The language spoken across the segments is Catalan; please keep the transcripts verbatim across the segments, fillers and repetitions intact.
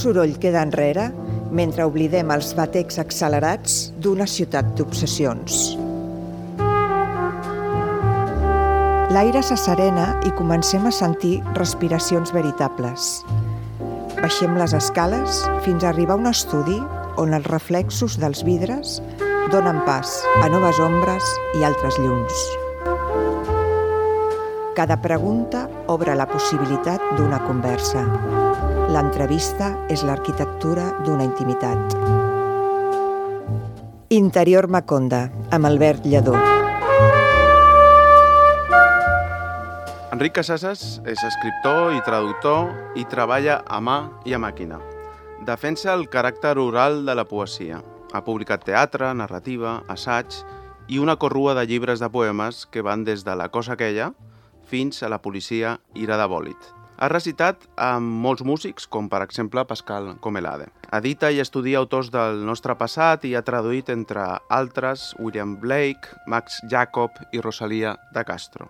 soroll queda enrere mentre oblidem els batecs accelerats d'una ciutat d'obsessions. L'aire s'asserena i comencem a sentir respiracions veritables. Baixem les escales fins a arribar a un estudi on els reflexos dels vidres donen pas a noves ombres i altres llums. Cada pregunta obre la possibilitat d'una conversa. L'entrevista és l'arquitectura d'una intimitat. Interior Maconda, amb Albert Lledó. Enric Casasas és escriptor i traductor i treballa a mà i a màquina. Defensa el caràcter oral de la poesia. Ha publicat teatre, narrativa, assaig i una corrua de llibres de poemes que van des de La cosa aquella fins a La policia ira de bòlit. Ha recitat amb molts músics, com per exemple Pascal Comelade. Edita i estudia autors del nostre passat i ha traduït, entre altres, William Blake, Max Jacob i Rosalía de Castro.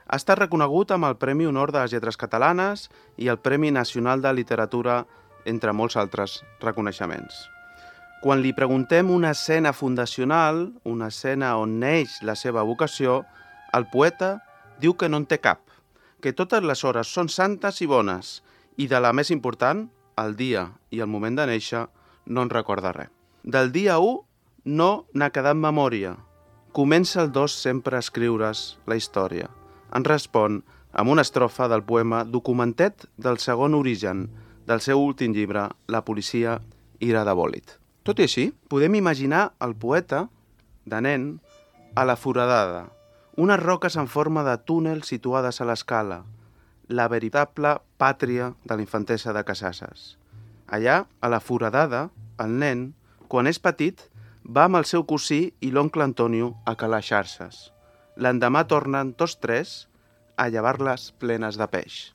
Ha estat reconegut amb el Premi Honor de les Lletres Catalanes i el Premi Nacional de Literatura, entre molts altres reconeixements. Quan li preguntem una escena fundacional, una escena on neix la seva vocació, el poeta diu que no en té cap, que totes les hores són santes i bones, i de la més important, el dia i el moment de néixer, no en recorda res. Del dia u no n'ha quedat memòria. Comença el dos sempre a escriure's la història. En respon amb una estrofa del poema Documentet del segon origen, del seu últim llibre, La policia ira de bòlit. Tot i així, podem imaginar el poeta, de nen, a la Foradada, unes roques en forma de túnel situades a l'escala, la veritable pàtria de la infantesa de Casasas. Allà, a la Foradada, el nen, quan és petit, va amb el seu cosí i l'oncle Antonio a calar xarxes. L'endemà tornen tots tres a llevar-les plenes de peix.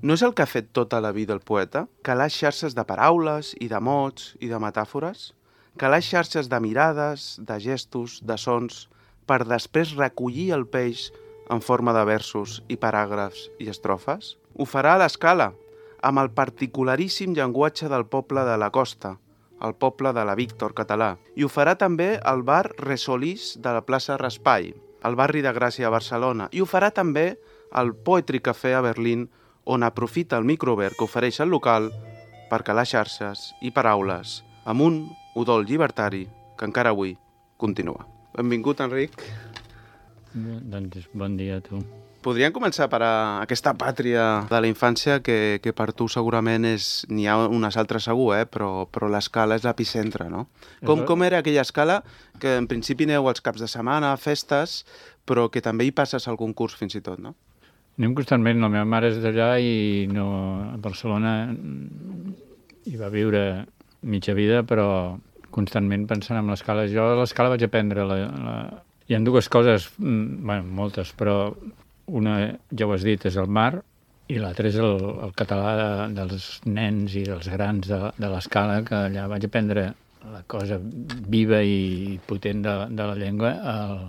No és el que ha fet tota la vida el poeta? Calar xarxes de paraules i de mots i de metàfores? Calar xarxes de mirades, de gestos, de sons, per després recollir el peix en forma de versos i paràgrafs i estrofes? Ho farà a l'escala, amb el particularíssim llenguatge del poble de la costa, el poble de la Víctor català. I ho farà també al bar Resolís de la plaça Raspail, al barri de Gràcia a Barcelona. I ho farà també al Poetry Café a Berlín, on aprofita el microobert que ofereix el local per calar xarxes i paraules amb un udol llibertari que encara avui continua. Benvingut, Enric. Doncs bon dia a tu. Podríem començar per a aquesta pàtria de la infància que, que per tu segurament és... N'hi ha unes altres segur, eh? però, però l'escala és l'epicentre, no? Com, com era aquella escala que en principi aneu als caps de setmana, a festes, però que també hi passes algun curs fins i tot, no? Anem constantment. La meva mare és d'allà i no, a Barcelona hi va viure mitja vida, però constantment pensant en l'escala. Jo a l'escala vaig aprendre... La, la... Hi ha dues coses, bueno, moltes, però una, ja ho has dit, és el mar i l'altra és el, el català de, dels nens i dels grans de, de l'escala, que allà vaig aprendre la cosa viva i potent de, de la llengua. El,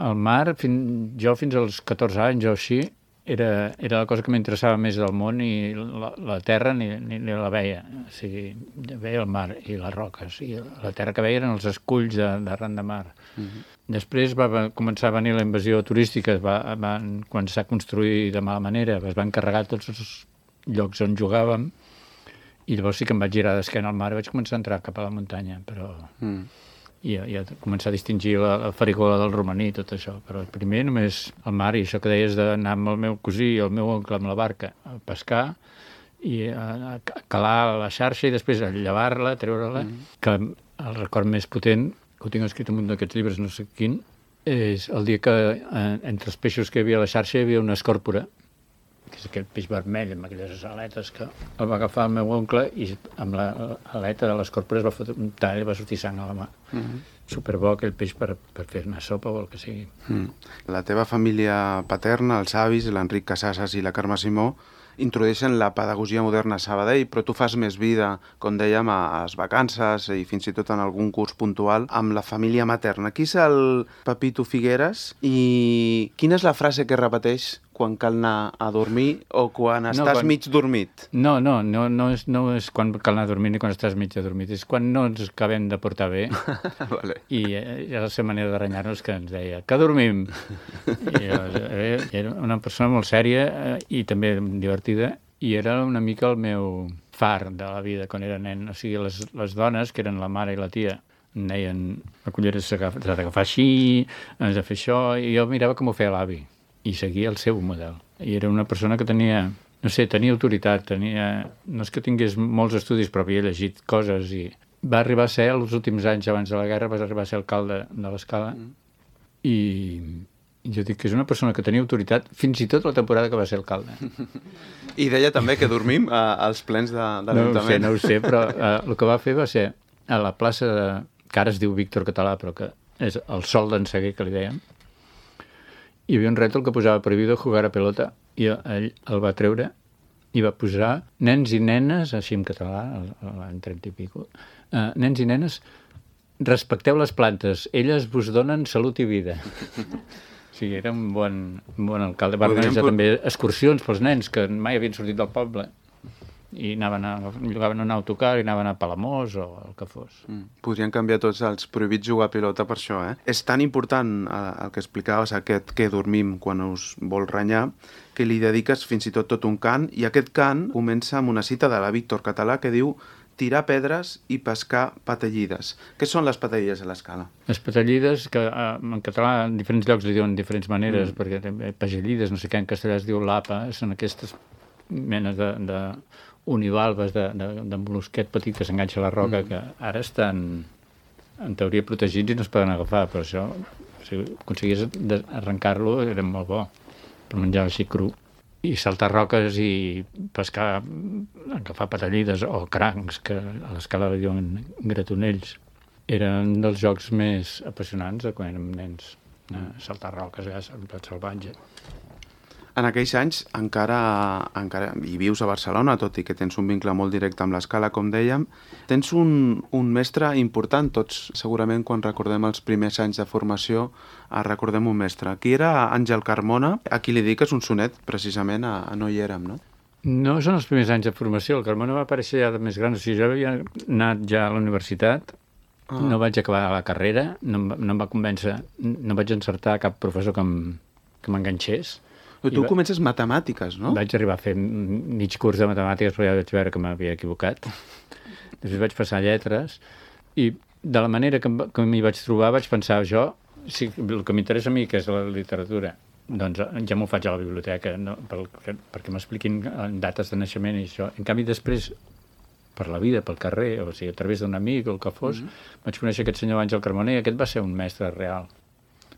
el mar, fin, jo fins als catorze anys o així, Era, era la cosa que m'interessava més del món i la, la terra ni, ni, ni la veia. O sigui, veia el mar i les roques. I la terra que veia eren els esculls d'arran de mar. Uh-huh. Després va començar a venir la invasió turística, va, van començar a construir de mala manera, es van carregar tots els llocs on jugàvem i llavors sí que em vaig girar d'esquena al mar i vaig començar a entrar cap a la muntanya, però... Uh-huh. I, i a començar a distingir la, la farigola del romaní i tot això, però primer només el mar i això que deies d'anar amb el meu cosí i el meu oncle amb la barca a pescar i a, a calar la xarxa i després a llevar-la, treure-la, mm. que el record més potent, que ho tinc escrit en un d'aquests llibres, no sé quin, és el dia que eh, entre els peixos que hi havia a la xarxa hi havia una escòrpora, que és aquell peix vermell amb aquelles aletes, que el va agafar el meu oncle i amb l'aleta de l'escorpora es va fotre un tall i va sortir sang a la mà. Mm-hmm. Superbo aquell peix per, per fer-ne sopa o el que sigui. Mm. La teva família paterna, els avis, l'Enric Casasas i la Carme Simó, introdueixen la pedagogia moderna a Sabadell, però tu fas més vida, com dèiem, a les vacances i fins i tot en algun curs puntual amb la família materna. Qui és el Pepito Figueres i quina és la frase que repeteix quan cal anar a dormir o quan estàs no, quan... mig dormit? No, no, no, no, és, no és quan cal anar a dormir ni quan estàs mig dormit, és quan no ens acabem de portar bé. Vale. I eh, la seva manera de renyar-nos que ens deia que dormim. I, eh, era una persona molt sèria eh, i també divertida, i era una mica el meu far de la vida quan era nen. O sigui, les, les dones, que eren la mare i la tia, em deien, la cullera s'ha d'agafar així, has de fer això, i jo mirava com ho feia l'avi, i seguia el seu model. I era una persona que tenia, no sé, tenia autoritat, tenia... No és que tingués molts estudis, però havia llegit coses, i va arribar a ser, els últims anys abans de la guerra, va arribar a ser alcalde de l'Escala, mm. i... jo dic que és una persona que tenia autoritat fins i tot la temporada que va ser alcalde. I deia també que dormim eh, als plens de, de l'Ajuntament. No ho sé, no ho sé, però eh, el que va fer va ser a la plaça, de, que ara es diu Víctor Català, però que és el Sol d'en Seguer, que li dèiem, hi havia un rètol que posava prohibido jugar a pelota, i ell el va treure i va posar nens i nenes, així en català, l'any trenta i pico, eh, nens i nenes, respecteu les plantes, elles vos donen salut i vida. Sí, era un bon, un bon alcalde. Va organitzar pot... també excursions pels nens que mai havien sortit del poble i anaven a, llogaven un autocar i anaven a Palamós o el que fos. Mm. Podrien canviar tots els prohibits jugar a pilota per això, eh? És tan important eh, el que explicaves, aquest que dormim quan us vol renyar, que li dediques fins i tot tot un cant, i aquest cant comença amb una cita de la Víctor Català que diu tirar pedres i pescar patellides. Què són les patellides a l'Escala? Les patellides, que eh, en català en diferents llocs li diuen diferents maneres, mm. perquè també pagellides, no sé què, en castellà es diu lapa, són aquestes menes de, de univalves de, de, de molusquet petit que s'enganxa a la roca, mm. que ara estan en teoria protegits i no es poden agafar, però això, si aconseguies arrencar-lo, era molt bo, per menjar així cru. I saltar roques i pescar, agafar patellides o crancs, que a l'Escala li diuen gratonells. Eren dels jocs més apassionants de quan érem nens. Eh? Saltar roques, eh? En plat salvatge. En aquells anys encara, encara hi vius a Barcelona, tot i que tens un vincle molt directe amb l'Escala, com dèiem. Tens un, un mestre important, tots segurament quan recordem els primers anys de formació recordem un mestre. Qui era Àngel Carmona, a qui li dediques un sonet precisament a, a No hi érem, no? No són els primers anys de formació, el Carmona va aparèixer ja de més gran, o sigui, jo havia anat ja a la universitat, ah. no vaig acabar la carrera, no, no em va convèncer, no vaig encertar cap professor que m'enganxés. Però tu va... comences matemàtiques, no? Vaig arribar a fer mig curs de matemàtiques, però ja vaig veure que m'havia equivocat. Després vaig passar lletres, i de la manera que, que m'hi vaig trobar vaig pensar, jo, si el que m'interessa a mi, que és la literatura, doncs ja m'ho faig a la biblioteca, no? Pel, perquè m'expliquin dates de naixement i això. En canvi, després, per la vida, pel carrer, o sigui, a través d'un amic o el que fos, mm-hmm. vaig conèixer aquest senyor Àngel Carmona, i aquest va ser un mestre real.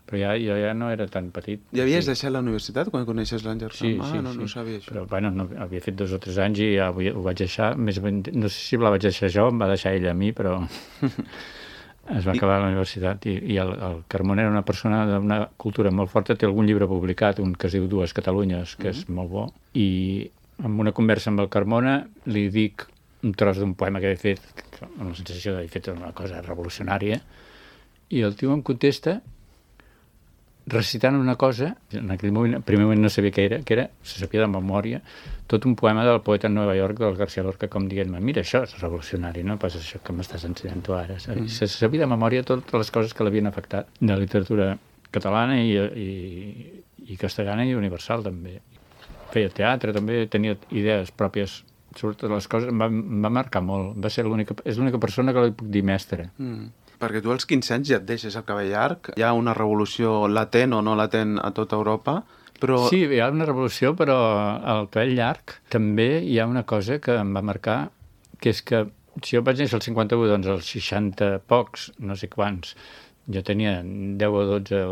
Però ja, jo ja no era tan petit. Ja havies sí. deixat la universitat quan coneixes l'Àngel sí, Carmona? Sí, ah, no, sí. no sabia això. Però, bueno, no, havia fet dos o tres anys i ja ho, ho vaig deixar. Més ben, no sé si la vaig deixar jo, em va deixar ella a mi, però es va acabar I... la universitat. I, i el, el Carmona era una persona d'una cultura molt forta, té algun llibre publicat, un que es diu Dues Catalunyes, que mm-hmm. és molt bo. I en una conversa amb el Carmona li dic un tros d'un poema que he fet, amb la sensació d'haver fet una cosa revolucionària, i el tio em contesta recitant una cosa, en aquell moment, primer moment no sabia què era, que era, se sabia de memòria, tot un poema del poeta en Nova York, del García Lorca, com dient-me, mira, això és revolucionari, no pas això que m'estàs ensenyant tu ara. Mm. Se sabia de memòria totes les coses que l'havien afectat, de la literatura catalana i, i, i castellana i universal, també. Feia teatre, també tenia idees pròpies sobre totes les coses, em va, em va marcar molt. Va ser l'única, és l'única persona que li puc dir mestre. Mm. Perquè tu als quinze anys ja et deixes el cabell llarg, hi ha una revolució latent o no latent a tota Europa, però... Sí, hi ha una revolució, però al cabell llarg també hi ha una cosa que em va marcar, que és que si jo vaig néixer al cinquanta-u, doncs als seixanta pocs, no sé quants, jo tenia deu o dotze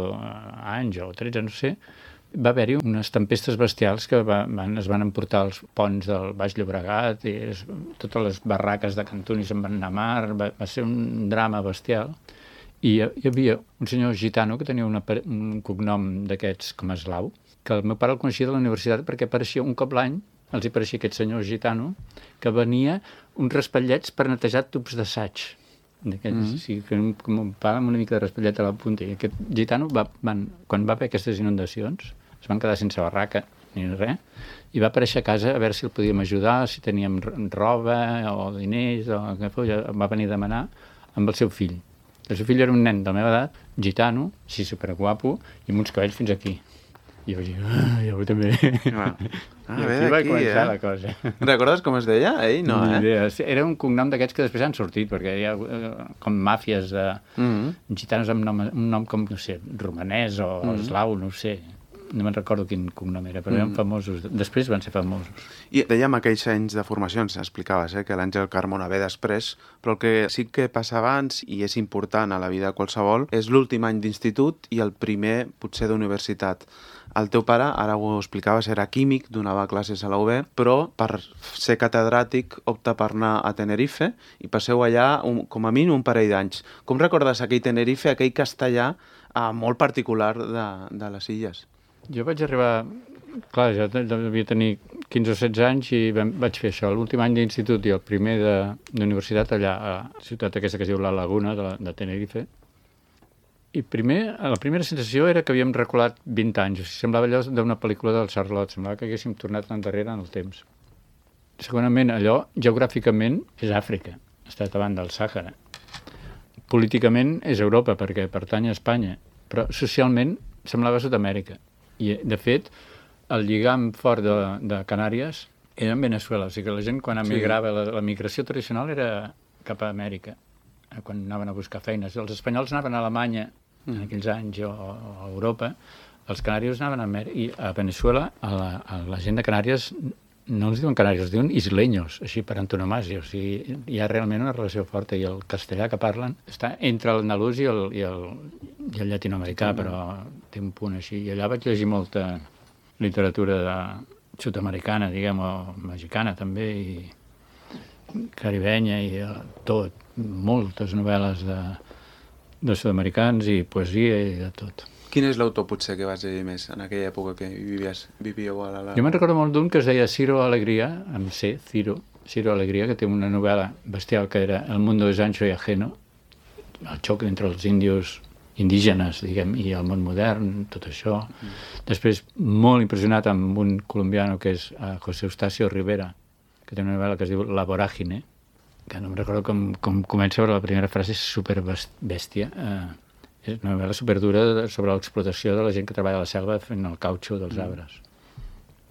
anys o tretze, no sé, va haver-hi unes tempestes bestials que va, van, es van emportar els ponts del Baix Llobregat i es, totes les barraques de Cantoni se'n van anar a mar, va, va ser un drama bestial. I hi, hi havia un senyor gitano que tenia una, un cognom d'aquests com eslau, que el meu pare el coneixia de la universitat perquè apareixia un cop l'any, els hi apareixia aquest senyor gitano, que venia uns raspallets per netejar tubs d'assaig. Mm-hmm. Sí, com un pa amb una mica de raspallet a la punta. I aquest gitano, va, van, quan va haver aquestes inundacions, es van quedar sense barraca ni res, i va aparèixer a casa a veure si el podíem ajudar, si teníem roba o diners, o què fos, va venir a demanar amb el seu fill. El seu fill era un nen de la meva edat, gitano, així superguapo, i amb uns cabells fins aquí. I jo vaig dir, ah, jo també. Ah, I aquí va començar eh? la cosa. Recordes com es deia? Ell no, Ni eh? idea. Era un cognom d'aquests que després han sortit, perquè hi ha com màfies de Mm-hmm. gitanos amb nom, un nom com, no sé, romanès o Mm-hmm. eslau, no ho sé. No me'n recordo quin cognom era, però eren famosos. Després van ser famosos. I dèiem aquells anys de formació, ens explicaves, eh, que l'Àngel Carmona ve després, però el que sí que passa abans, i és important a la vida de qualsevol, és l'últim any d'institut i el primer, potser, d'universitat. El teu pare, ara ho explicaves, era químic, donava classes a la U B, però per ser catedràtic opta per anar a Tenerife i passeu allà un, com a mínim un parell d'anys. Com recordes aquell Tenerife, aquell castellà eh, molt particular de, de les illes? Jo vaig arribar... Clar, jo devia tenir quinze o setze anys i vam, vaig fer això, l'últim any d'institut i el primer d'universitat allà a la ciutat aquesta que es diu La Laguna, de, de Tenerife. I primer, la primera sensació era que havíem reculat vint anys. O sigui, semblava allò d'una pel·lícula del Charlotte, semblava que haguéssim tornat endarrere en el temps. Segurament, allò, geogràficament, és Àfrica, està davant del Sàhara. Políticament és Europa, perquè pertany a Espanya, però socialment semblava Sud-amèrica. I, de fet, el lligam fort de, de Canàries era en Venezuela. O sigui que la gent, quan emigrava, sí. la, la migració tradicional era cap a Amèrica, quan anaven a buscar feines. Els espanyols anaven a Alemanya en aquells anys o, o a Europa, els canaris anaven a Amèrica. I a Venezuela, a la, a la gent de Canàries no els diuen canàries, els diuen isleños, així per antonomàsia. O sigui, hi ha realment una relació forta i el castellà que parlen està entre l'andalús i el, i el, i el llatinoamericà, mm. però té un punt així. I allà vaig llegir molta literatura de sud-americana, diguem, o mexicana també, i caribenya i tot. Moltes novel·les de, de sud-americans i poesia i de tot. Quin és l'autor, potser, que vas llegir més en aquella època que vivies, vivíeu a la... Jo me'n recordo molt d'un que es deia Ciro Alegría, amb C, Ciro, Ciro Alegría, que té una novel·la bestial que era El mundo es ancho y ajeno, el xoc entre els índios indígenes, diguem, i el món modern, tot això. Mm. Després, molt impressionat amb un colombiano que és uh, José Eustacio Rivera, que té una novel·la que es diu La Vorágine, que no em recordo com, com comença, però la primera frase és superbèstia. Uh, és una novel·la superdura sobre l'explotació de la gent que treballa a la selva fent el cautxo dels arbres.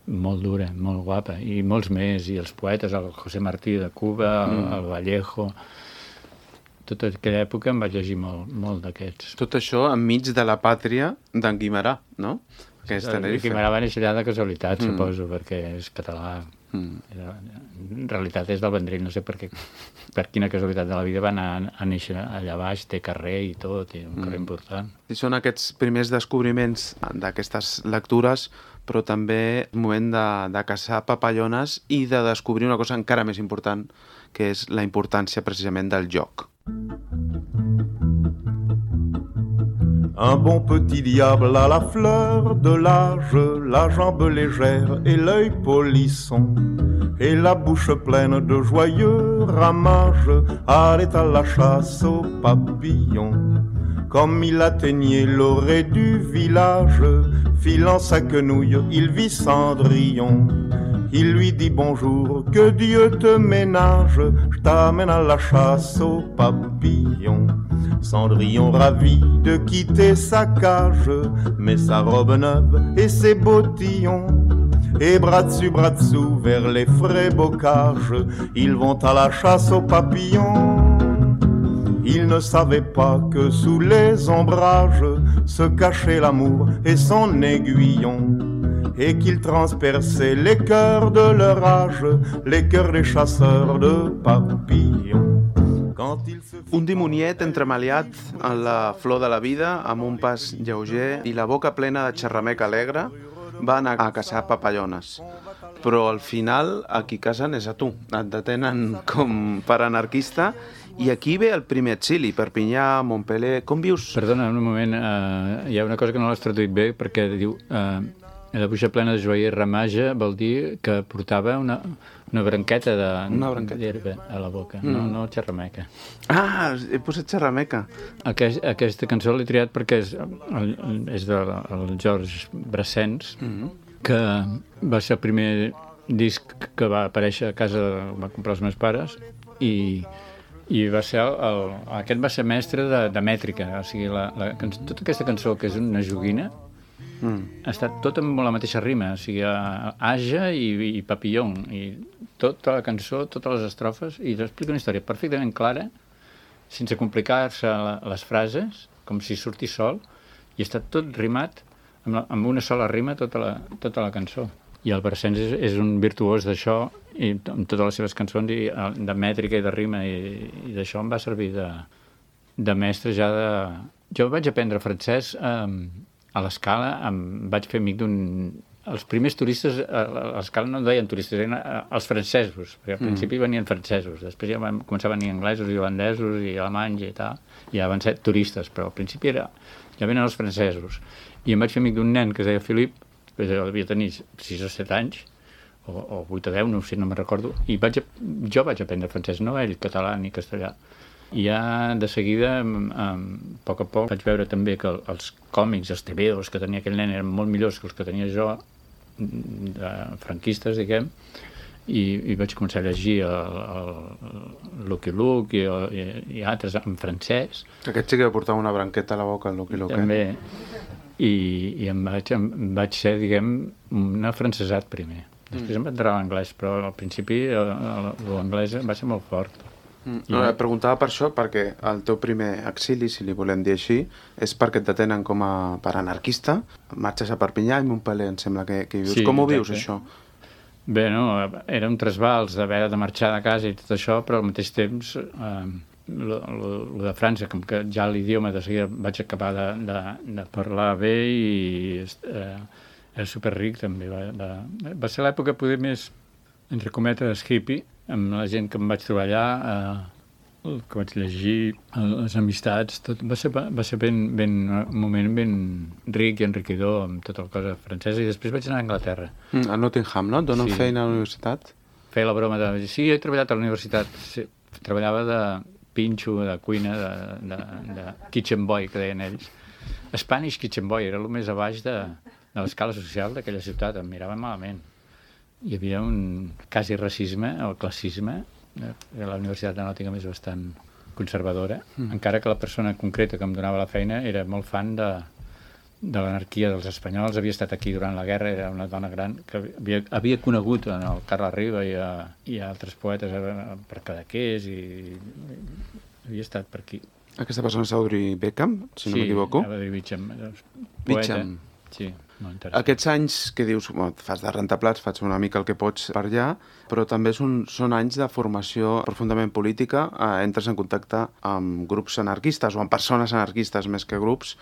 Mm. Molt dura, molt guapa. I molts més, i els poetes, el José Martí de Cuba, mm. el, el Vallejo... Tota aquella època em vaig llegir molt, molt d'aquests. Tot això enmig de la pàtria d'en Guimerà, no? Que és Tenerife. Guimerà va néixer allà de casualitat, mm. suposo, perquè és català. Mm. En realitat és del Vendrell, no sé per, què, per quina casualitat de la vida va anar a néixer allà baix, té carrer i tot, i un carrer mm. important. I són aquests primers descobriments d'aquestes lectures, però també el moment de, de caçar papallones i de descobrir una cosa encara més important, que és la importància precisament del joc. Un bon petit diable à la fleur de l'âge, la jambe légère et l'œil polisson, et la bouche pleine de joyeux ramages, allait à la chasse aux papillons. Comme il atteignait l'orée du village, filant sa quenouille, il vit Cendrillon. Il lui dit bonjour, que Dieu te ménage, je t'amène à la chasse aux papillons. Cendrillon ravi de quitter sa cage, met sa robe neuve et ses bottillons. Et bras dessus, bras dessous, vers les frais bocages, ils vont à la chasse aux papillons. Ils ne savaient pas que sous les ombrages se cachait l'amour et son aiguillon, et qu'ils transperçaient les cœurs de leur âge, les cœurs des chasseurs de papillons. Un dimoniet entremaliat en la flor de la vida, amb un pas lleuger i la boca plena de xerramec alegre, va anar a caçar papallones. Però al final, a qui casen és a tu. Et detenen com per anarquista i aquí ve el primer exili, Perpinyà, Montpellier... Com vius? Perdona, un moment, uh, hi ha una cosa que no l'has traduït bé, perquè diu... Uh, la buixa plena de joia i ramaja vol dir que portava una, una branqueta d'herba a la boca, mm. no, no xerrameca. Ah, he posat xerrameca. Aquest, aquesta cançó l'he triat perquè és, és del Georges Brassens, mm-hmm. que va ser el primer disc que va aparèixer a casa, va comprar els meus pares, i, i va ser el, el, aquest va ser mestre de, de mètrica, o sigui, la, la, tota aquesta cançó, que és una joguina, mm. ha estat tot amb la mateixa rima, o sigui, Aja i, i Papillon, i tota la cançó, totes les estrofes, i explica una història perfectament clara, sense complicar-se les frases, com si sortís sol, i està tot rimat amb, la, amb una sola rima tota la, tota la cançó. I el Brassens és, és un virtuós d'això, i amb totes les seves cançons, i de mètrica i de rima, i, i d'això em va servir de, de mestre ja de... Jo vaig aprendre francès eh, a l'Escala, em vaig fer amic d'un... Els primers turistes a l'Escala no deien turistes, eren els francesos, perquè al principi mm. venien francesos, després ja van començar a venir anglesos i holandesos i alemanys i tal, i ja van ser turistes, però al principi era, ja venen els francesos. I em vaig fer amic d'un nen que es deia Filip, que devia tenir sis o set anys, o, o vuit o deu, no sé, no me'n recordo, i vaig, jo vaig aprendre francès, no ell, català ni castellà. I ja de seguida, a poc a poc, vaig veure també que els còmics, els tebeos que tenia aquell nen eren molt millors que els que tenia jo, de franquistes, diguem, i, i vaig començar a llegir el, el Lucky Luke i, i, i altres en francès. Aquest sí que portava una branqueta a la boca, el Lucky Luke. També. I, i em, vaig, em vaig ser, diguem, un afrancesat primer. Després mm. em va entrar l'anglès, però al principi l'anglès va ser molt fort. Mm. No, I... preguntava per això, perquè el teu primer exili, si li volem dir així, és perquè et detenen com a per anarquista, marxes a Perpinyà i Montpellier, em sembla que, que vius. Sí, com ho vius, això? Bé, no, era un trasbals d'haver de marxar de casa i tot això, però al mateix temps... Eh, Lo, lo, lo de França, com que ja l'idioma de seguida vaig acabar de, de, de parlar bé i eh, era superric també. Va, de, va ser l'època poder més, entre cometes, hippie, amb la gent que em vaig trobar allà, eh, el que vaig llegir, les amistats, tot va ser, va ser ben, ben, un moment ben ric i enriquidor amb tota la cosa francesa, i després vaig anar a Anglaterra. Mm, a Nottingham, no? Et donen sí. feina a la universitat? Feia la broma de... Sí, he treballat a la universitat. Sí, treballava de... pinxo, de cuina, de, de, de kitchen boy, que deien ells. Spanish kitchen boy, era el més a baix de, de l'escala social d'aquella ciutat, em miraven malament. Hi havia un quasi racisme, o classisme, la Universitat de Nottingham és bastant conservadora, mm. encara que la persona concreta que em donava la feina era molt fan de, de l'anarquia dels espanyols, havia estat aquí durant la guerra, era una dona gran que havia, havia conegut en el Carles Riba i, a, i a altres poetes per Cadaqués, i, i havia estat per aquí. Aquesta persona és Audrey Beckham, si no sí, m'equivoco? Sí, Audrey Beckham, poeta. Beckham. Sí, molt interessant. Aquests anys que dius, bueno, fas de rentaplats, fas una mica el que pots per allà, però també són, són anys de formació profundament política, eh, entres en contacte amb grups anarquistes o amb persones anarquistes més que grups.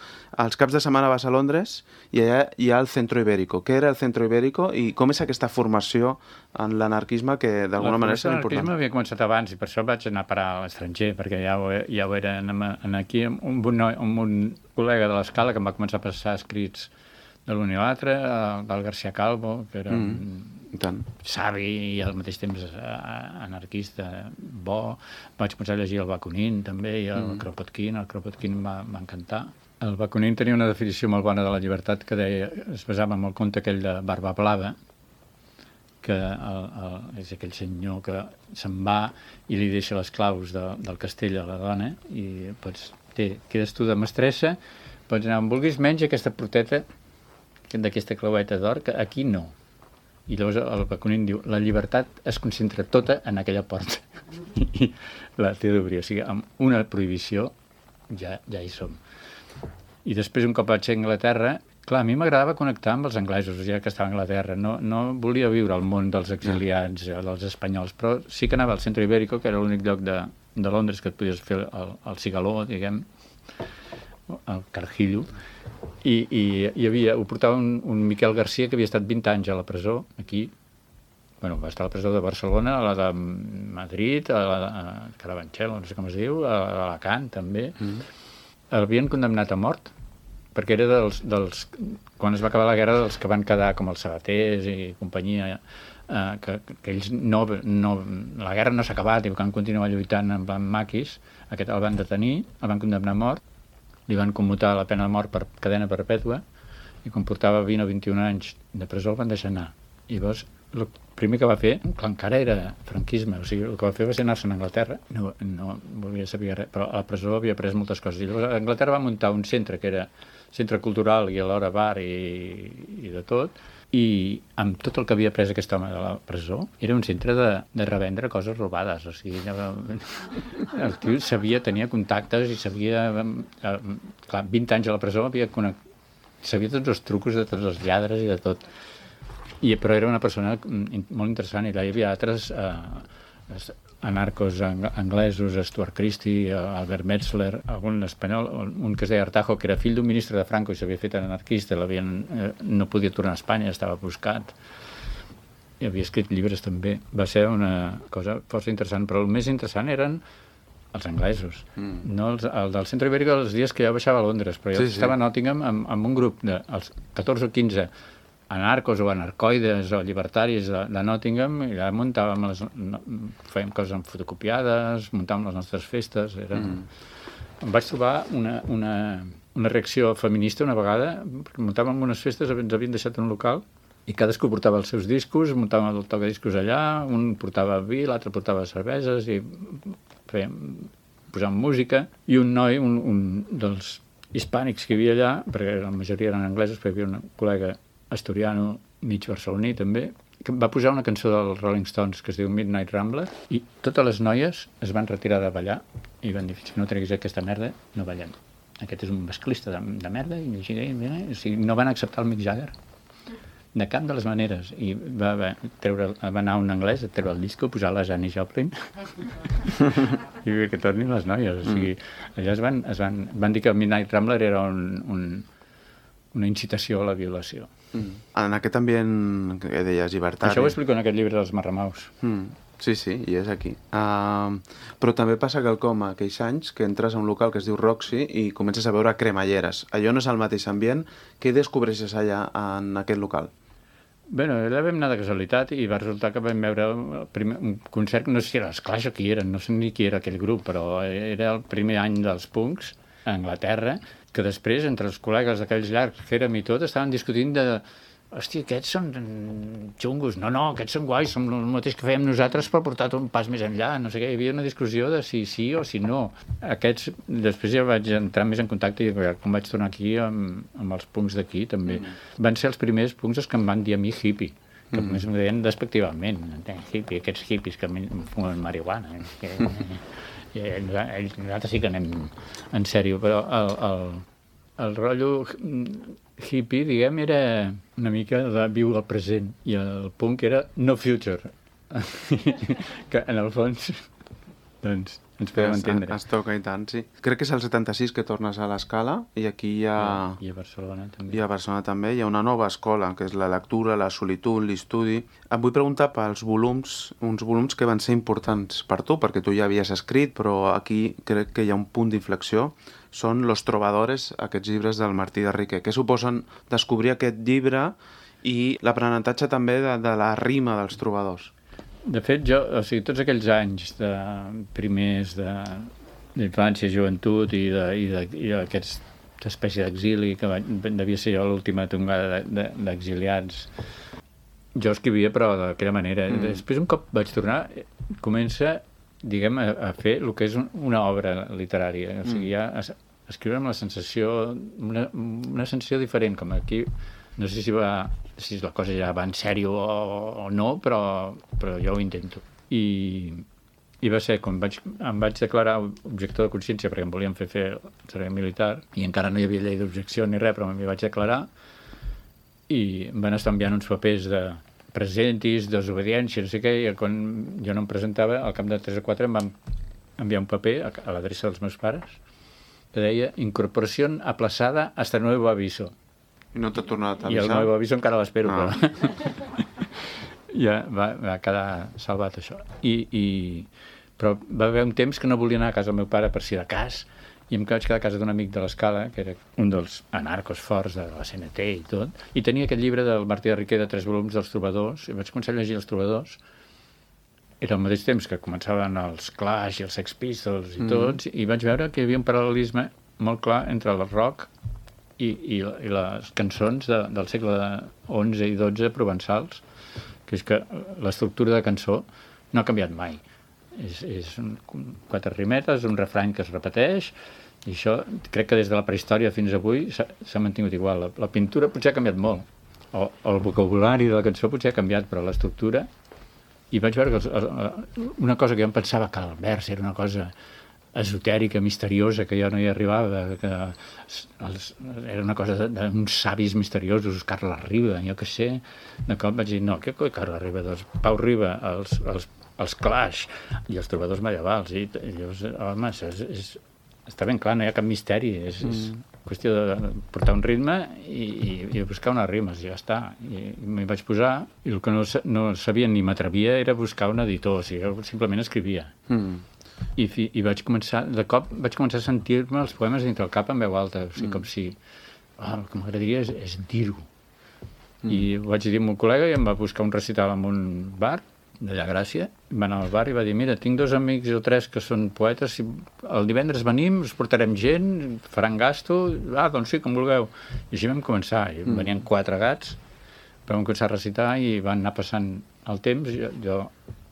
Els caps de setmana vas a Londres i allà hi ha el Centro Ibérico. Què era el Centro Ibérico i com és aquesta formació en l'anarquisme que d'alguna manera és important? L'anarquisme havia començat abans i per això vaig anar a parar a l'estranger, perquè ja ho, ja ho era en, en aquí amb un, amb un col·lega de l'Escala que em va començar a passar escrits de l'un i l'altre, del García Calvo, que era mm, un savi i al mateix temps anarquista bo. Vaig començar a llegir el Bakunin també, i el mm. Kropotkin. El Kropotkin em va, va encantar. El Bakunin tenia una definició molt bona de la llibertat que deia, es basava en el conte aquell de Barba Blava, que el, el, és aquell senyor que se'n va i li deixa les claus de, del castell a la dona i pots, té, quedes tu de mestressa, pots anar on vulguis, menys aquesta proteta d'aquesta claueta d'or, que aquí no. I llavors el Bakunin diu, la llibertat es concentra tota en aquella porta. I la té d'obrir. O sigui, amb una prohibició ja, ja hi som. I després, un cop vaig a Anglaterra, clar, a mi m'agradava connectar amb els anglesos, ja que estava a Anglaterra. No, no volia viure al món dels exiliats, dels espanyols, però sí que anava al Centro Ibérico, que era l'únic lloc de, de Londres que et podies fer el, el cigaló, diguem, el carjillo, i, i hi havia, ho portava un, un Miquel Garcia que havia estat vint anys a la presó, aquí, bueno, va estar a la presó de Barcelona, a la de Madrid, a la de Carabanchel, no sé com es diu, a Alacant també. Mm. L'havien condemnat a mort, perquè era dels, dels, quan es va acabar la guerra, dels que van quedar com els Sabatés i companyia, eh, que, que ells no, no, la guerra no s'ha acabat i van continuar lluitant amb, amb maquis, aquest el van detenir, el van condemnar a mort, li van commutar la pena de mort per cadena perpètua i quan portava vint o vint-i-un anys de presó el van deixar anar. I llavors, el primer que va fer, que encara era franquisme, o sigui, el que va fer va ser anar-se'n a Anglaterra, no, no volia saber res, però a la presó havia après moltes coses. I llavors a Anglaterra va muntar un centre que era centre cultural i alhora bar i, i de tot, i amb tot el que havia après aquest home de la presó, era un centre de, de revendre coses robades, o sigui, el tio sabia, tenia contactes i sabia, eh, clar, vint anys a la presó, havia connect... sabia tots els trucos de tots els lladres i de tot. I, però era una persona molt interessant, i allà hi havia altres eh, anarcos anglesos, Stuart Christie, Albert Metzler, algun espanyol, un que es deia Artajo, que era fill d'un ministre de Franco i s'havia fet anarquista, eh, no podia tornar a Espanya, estava buscat, i havia escrit llibres també. Va ser una cosa força interessant, però el més interessant eren els anglesos. Mm. No els, el del centre ibèric els dies que jo baixava a Londres, però jo sí, estava sí. a Nottingham amb, amb un grup de els catorze o quinze anarcos o anarcoides o llibertaris de, de Nottingham, i allà muntàvem les, no, fèiem coses amb fotocopiades, muntàvem les nostres festes. Era... Mm. Em vaig trobar una, una, una reacció feminista una vegada, perquè muntàvem unes festes, ens havien deixat en un local, i cadascú portava els seus discos, muntàvem el tocadiscos allà, un portava vi, l'altre portava cerveses, i fèiem, posàvem música, i un noi, un, un dels hispànics que hi havia allà, perquè la majoria eren anglesos, però hi havia un col·lega asturiano, mig barceloní també, que va posar una cançó dels Rolling Stones que es diu Midnight Rambler, i totes les noies es van retirar de ballar i van dir, si no treguis aquesta merda, no ballem. Aquest és un masclista de, de merda, i així, o sigui, no van acceptar el Mick Jagger de cap de les maneres, i va, va, treure, va anar un anglès a treure el disco, posar la Janis Joplin i que tornin les noies, o sigui, allà es van, es van, van dir que Midnight Rambler era un, un, una incitació a la violació. Mm. En aquest ambient que deies llibertari... Això ho explico en aquest llibre dels Marramaus. Mm. Sí, sí, i és aquí. Uh, però també passa quelcom aquells anys que entres a un local que es diu Roxy i comences a veure cremalleres. Allò no és el mateix ambient. Què descobreixes allà en aquest local? Bé, allà vam anar de casualitat i va resultar que vam veure el primer, un concert, no sé si era l'Esclash o qui eren, no sé ni qui era aquell grup, però era el primer any dels punks a Anglaterra, que després, entre els col·legues d'aquells llargs que érem i tot, estaven discutint de hòstia, aquests són xungos, no, no, aquests són guais, som el mateix que fèiem nosaltres per portar un pas més enllà, no sé què, hi havia una discussió de si sí o si no. Aquests, després ja vaig entrar més en contacte i com vaig tornar aquí amb, amb els punks d'aquí també. Mm. Van ser els primers punks els que em van dir a mi hippie, que mm. més em deien despectivament, hippie, aquests hippies que fumen marihuana. Que, i ells, nosaltres sí que anem en sèrio, però el, el, el rotllo hippie, diguem, era una mica de viure el present, i el punk era no future, que en el fons doncs ens podem entendre. Es, es toca i tant, sí. Crec que és el setanta-sis que tornes a l'Escala, i aquí hi ha... I a Barcelona també. I a Barcelona també hi ha una nova escola, que és la lectura, la solitud, l'estudi. Et vull preguntar pels volums, uns volums que van ser importants per tu, perquè tu ja havies escrit, però aquí crec que hi ha un punt d'inflexió. Són Los Trovadores, aquests llibres del Martí de Riquer. Què suposen descobrir aquest llibre i l'aprenentatge també de, de la rima dels trobadors? De fet, jo, o sigui, tots aquells anys de primers d'infància, joventut i d'aquesta espècie d'exili, que va, devia ser jo l'última tongada d'exiliats, jo escrivia però d'aquella manera. Mm. Després, un cop vaig tornar, comença, diguem, a, a fer el que és un, una obra literària. O sigui, ja a, a escriure amb la sensació, una, una sensació diferent, com aquí... No sé si, va, si la cosa ja va en sèrio o, o no, però, però jo ho intento. I, i va ser quan vaig, em vaig declarar objector de consciència, perquè em volien fer fer el servei militar, i encara no hi havia llei d'objecció ni res, però m'hi vaig declarar, i em van estar enviant uns papers de presentis, desobediència, no sé què, i quan jo no em presentava, al cap de tres o quatre em van enviar un paper a, a l'adreça dels meus pares, que deia incorporació aplaçada hasta nuevo aviso. I no t'ha tornat a avisar? I el meu aviso encara l'espero, no. Però ja va, va quedar salvat això. I, i... Però va haver un temps que no volia anar a casa del meu pare per si de cas, i em vaig quedar a casa d'un amic de l'Escala, que era un dels anarcos forts de la C N T i tot, i tenia aquest llibre del Martí de Riquer de tres volums dels Trobadors, i vaig començar a llegir els Trobadors. Era al mateix temps que començaven els Clash i els Sex Pistols i tots, mm. i vaig veure que hi havia un paral·lelisme molt clar entre el rock i, i, i les cançons de, del segle onze i dotze provençals, que és que l'estructura de cançó no ha canviat mai. És, és un, quatre rimetes, un refrany que es repeteix, i això crec que des de la prehistòria fins avui s'ha mantingut igual. La, la pintura potser ha canviat molt, o, o el vocabulari de la cançó potser ha canviat, però l'estructura... I vaig veure que els, els, una cosa que jo em pensava que el vers era una cosa esotèrica, misteriosa, que jo no hi arribava, que els, era una cosa d'uns savis misteriosos, Carles Riba, jo què sé. De cop vaig dir, no, què coi Carles Riba? Doncs Pau Riba, els, els, els Clash i els trobadors medievals. I, i llavors, home, això és, és, està ben clar, no hi ha cap misteri, és... és mm. qüestió de portar un ritme i, i, i buscar unes rimes, i ja està. I, i m'hi vaig posar, i el que no, no sabia ni m'atrevia era buscar un editor, o sigui, simplement escrivia. Mm. I, I vaig començar, de cop, vaig començar a sentir-me els poemes dintre el cap en veu alta, o sigui, mm. com si, oh, el que m'agradaria és, és dir-ho. Mm. I ho vaig dir a un col·lega i em va buscar un recital en un bar, d'allà Gràcia, va anar al bar i va dir, mira, tinc dos amics o tres que són poetes, si el divendres venim, us portarem gent, faran gasto, ah, doncs sí, com vulgueu. I així vam començar, i mm. venien quatre gats, vam començar a recitar i van anar passant el temps, jo, jo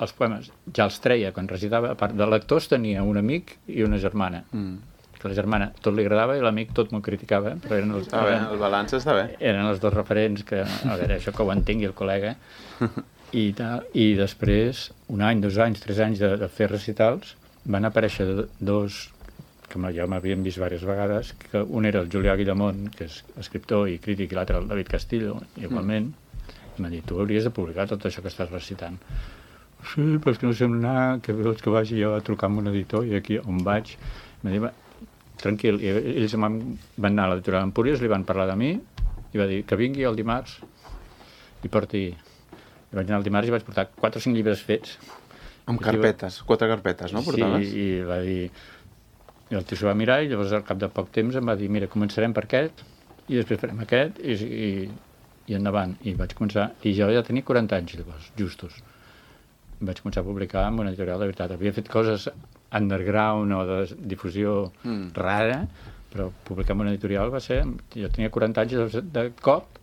els poemes ja els treia quan recitava, a part de lectors tenia un amic i una germana, mm. que la germana tot li agradava i l'amic tot m'ho criticava, però eren els, està bé, eren, el balanç està bé. Eren els dos referents que, a veure, això que ho entengui el col·lega, I, tal, i després, un any, dos anys, tres anys de, de fer recitals, van aparèixer dos, que jo m'havien vist diverses vegades, que un era el Julià Guillamont, que és escriptor i crític, i l'altre el David Castillo, igualment, mm. i m'ha dit, tu hauries de publicar tot això que estàs recitant. Sí, però és que no sé on anar, que vols que vagi jo a trucar amb un editor, i aquí on vaig, m'ha dit, tranquil, i ells van anar a l'editorial Empúries, li van parlar de mi, i va dir que vingui el dimarts i porti... I vaig anar el dimarts i vaig portar quatre o cinc llibres fets. Amb carpetes, va... quatre carpetes, no? Portaves? Sí, i va dir... I el tio s'ho va mirar i llavors al cap de poc temps em va dir, mira, començarem per aquest i després farem aquest i, i, i endavant. I vaig començar... I jo ja tenia quaranta anys llavors, justos. I vaig començar a publicar amb una editorial de veritat. Havia fet coses underground o de difusió mm. rara, però publicar amb una editorial va ser... Jo tenia quaranta anys de, de cop.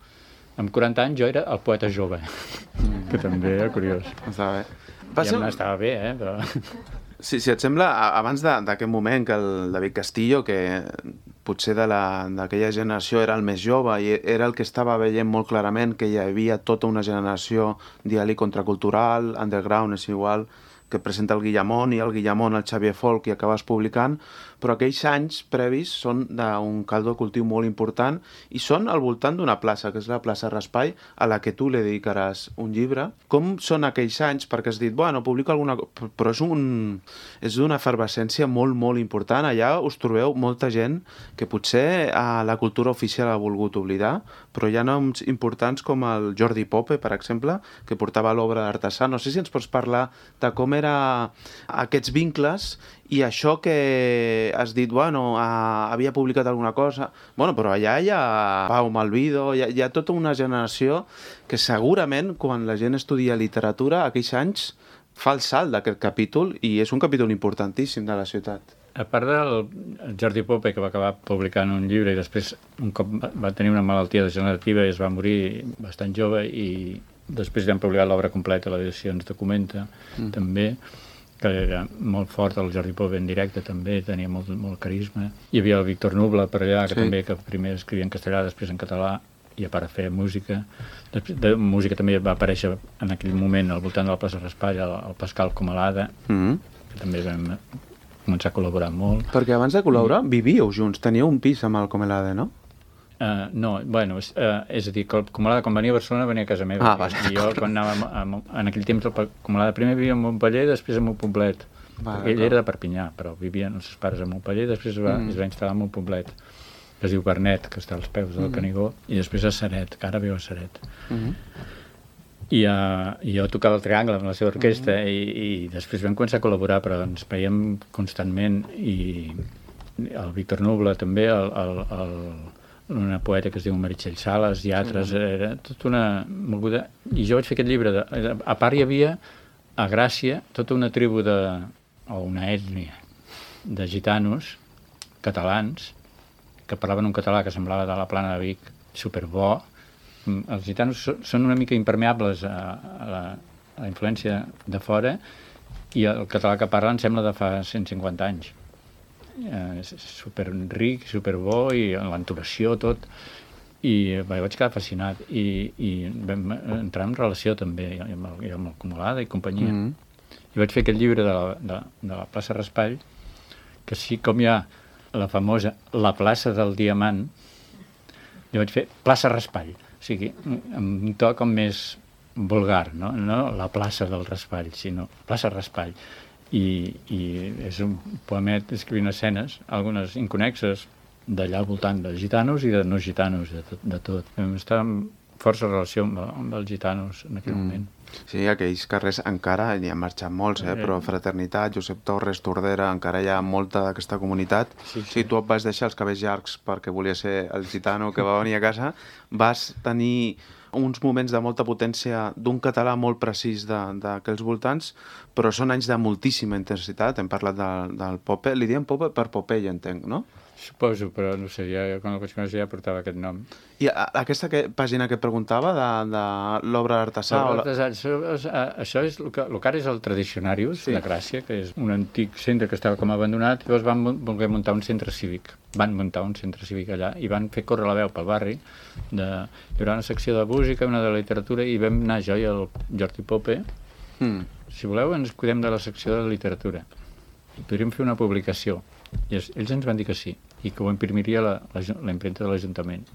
Amb quaranta anys jo era el poeta jove, mm. que també era curiós. Estava bé. Va ser... Ja estava bé, eh? Però... Sí, si et sembla, abans d'aquest moment que el David Castillo, que potser d'aquella generació era el més jove i era el que estava veient molt clarament que hi havia tota una generació, digue-li, contracultural, underground, és igual, que presenta el Guillamont i el Guillamont, el Xavier Folk, i acabes publicant, però aquells anys previs són d'un caldo de cultiu molt important i són al voltant d'una plaça, que és la plaça Raspail, a la que tu li dedicaràs un llibre. Com són aquells anys? Perquè has dit, bueno, publico alguna cosa, però és un és d'una efervescència molt, molt important. Allà us trobeu molta gent que potser a la cultura oficial ha volgut oblidar, però hi ha noms importants com el Jordi Pope, per exemple, que portava l'obra d'Artesà. No sé si ens pots parlar de com eren aquests vincles i això que has dit, bueno, uh, havia publicat alguna cosa... Bueno, però allà hi ha Pau Malvido, hi ha, hi ha tota una generació que segurament, quan la gent estudia literatura, aquells anys fa el salt d'aquest capítol i és un capítol importantíssim de la ciutat. A part del Jordi Pope, que va acabar publicant un llibre i després un cop va tenir una malaltia degenerativa i es va morir bastant jove i després vam publicar l'obra completa, l'edició ens documenta, mm. també, que era molt fort, el Jordi Pope en directe també, tenia molt, molt carisma. Hi havia el Víctor Nubla per allà, que sí. també que primer escrivia en castellà, després en català, i a part a fer música. Després de música també va aparèixer en aquell moment al voltant de la plaça Raspail el, el Pascal Comalada, mm-hmm. que també vam començar a col·laborar molt. Perquè abans de col·laborar I... vivíeu junts, teníeu un pis amb el Comalada, no? Uh, no, bueno, és, uh, és a dir, que el Comalada quan venia a Barcelona venia a casa meva. Ah, vale, I jo quan anava a, a, en aquell temps el Comalada primer vivia a Montpeller i després a Montpoblet. Vale, ell era de Perpinyà, però vivien els seus pares a Montpeller i després es va, mm. es va instal·lar a Montpoblet, que es diu Bernet, que està als peus del mm. Canigó, i després a Ceret, que ara viu a Ceret. Mm. I, uh, i jo tocava el triangle amb la seva orquestra mm. i, i després vam començar a col·laborar, però ens veiem constantment i el Víctor Nubla també, el, el, el una poeta que es diu Meritxell Sales i altres, mm. era tota una moguda. I jo vaig fer aquest llibre. De, a part hi havia a Gràcia tota una tribu de, o una ètnia de gitanos catalans que parlaven un català que semblava de la Plana de Vic, superbo. Els gitanos són una mica impermeables a, a, la, a la influència de fora i el català que parlen sembla de fa cent cinquanta anys. Eh, és super ric, super bo i l'entonació, tot. I bé, vaig quedar fascinat i, i vam entrar en relació també amb el, amb el Acumulada i companyia. Mm-hmm. I vaig fer aquest llibre de la, de, de la plaça Raspall, que sí com hi ha la famosa La plaça del Diamant, jo vaig fer plaça Raspall, o sigui, amb un to com més vulgar, no? No la plaça del Raspall, sinó plaça Raspall. I, i és un poemet escrivint escenes, algunes inconexes, d'allà al voltant de gitanos i de no gitanos, de tot. De tot. Vam estar en força relació amb, amb els gitanos en aquell mm. moment. Sí, aquells carrers encara hi han marxat molts, eh? Però Fraternitat, Josep Torres, Tordera, encara hi ha molta d'aquesta comunitat. Sí, sí. Si tu et vas deixar els cabells llargs perquè volia ser el gitano que va venir a casa, vas tenir uns moments de molta potència d'un català molt precís d'aquells voltants, però són anys de moltíssima intensitat. Hem parlat de, del Pope, li diem Pope per Popeye, entenc, no? Suposo, però no sé, ja, quan el vaig conèixer ja portava aquest nom. I a, aquesta que, pàgina que et preguntava de, de l'obra d'Artesà... La... Això, això és el que, el que ara és el Tradicionarius, sí. de Gràcia, que és un antic centre que estava com abandonat, i llavors van voler muntar un centre cívic. Van muntar un centre cívic allà i van fer córrer la veu pel barri. De... Hi haurà una secció de música, una de literatura, i vam anar jo i el Jordi Pope. Mm. Si voleu, ens cuidem de la secció de literatura. I podríem fer una publicació. I ells ens van dir que sí, i que ho imprimiria la, la, la impremta de l'Ajuntament,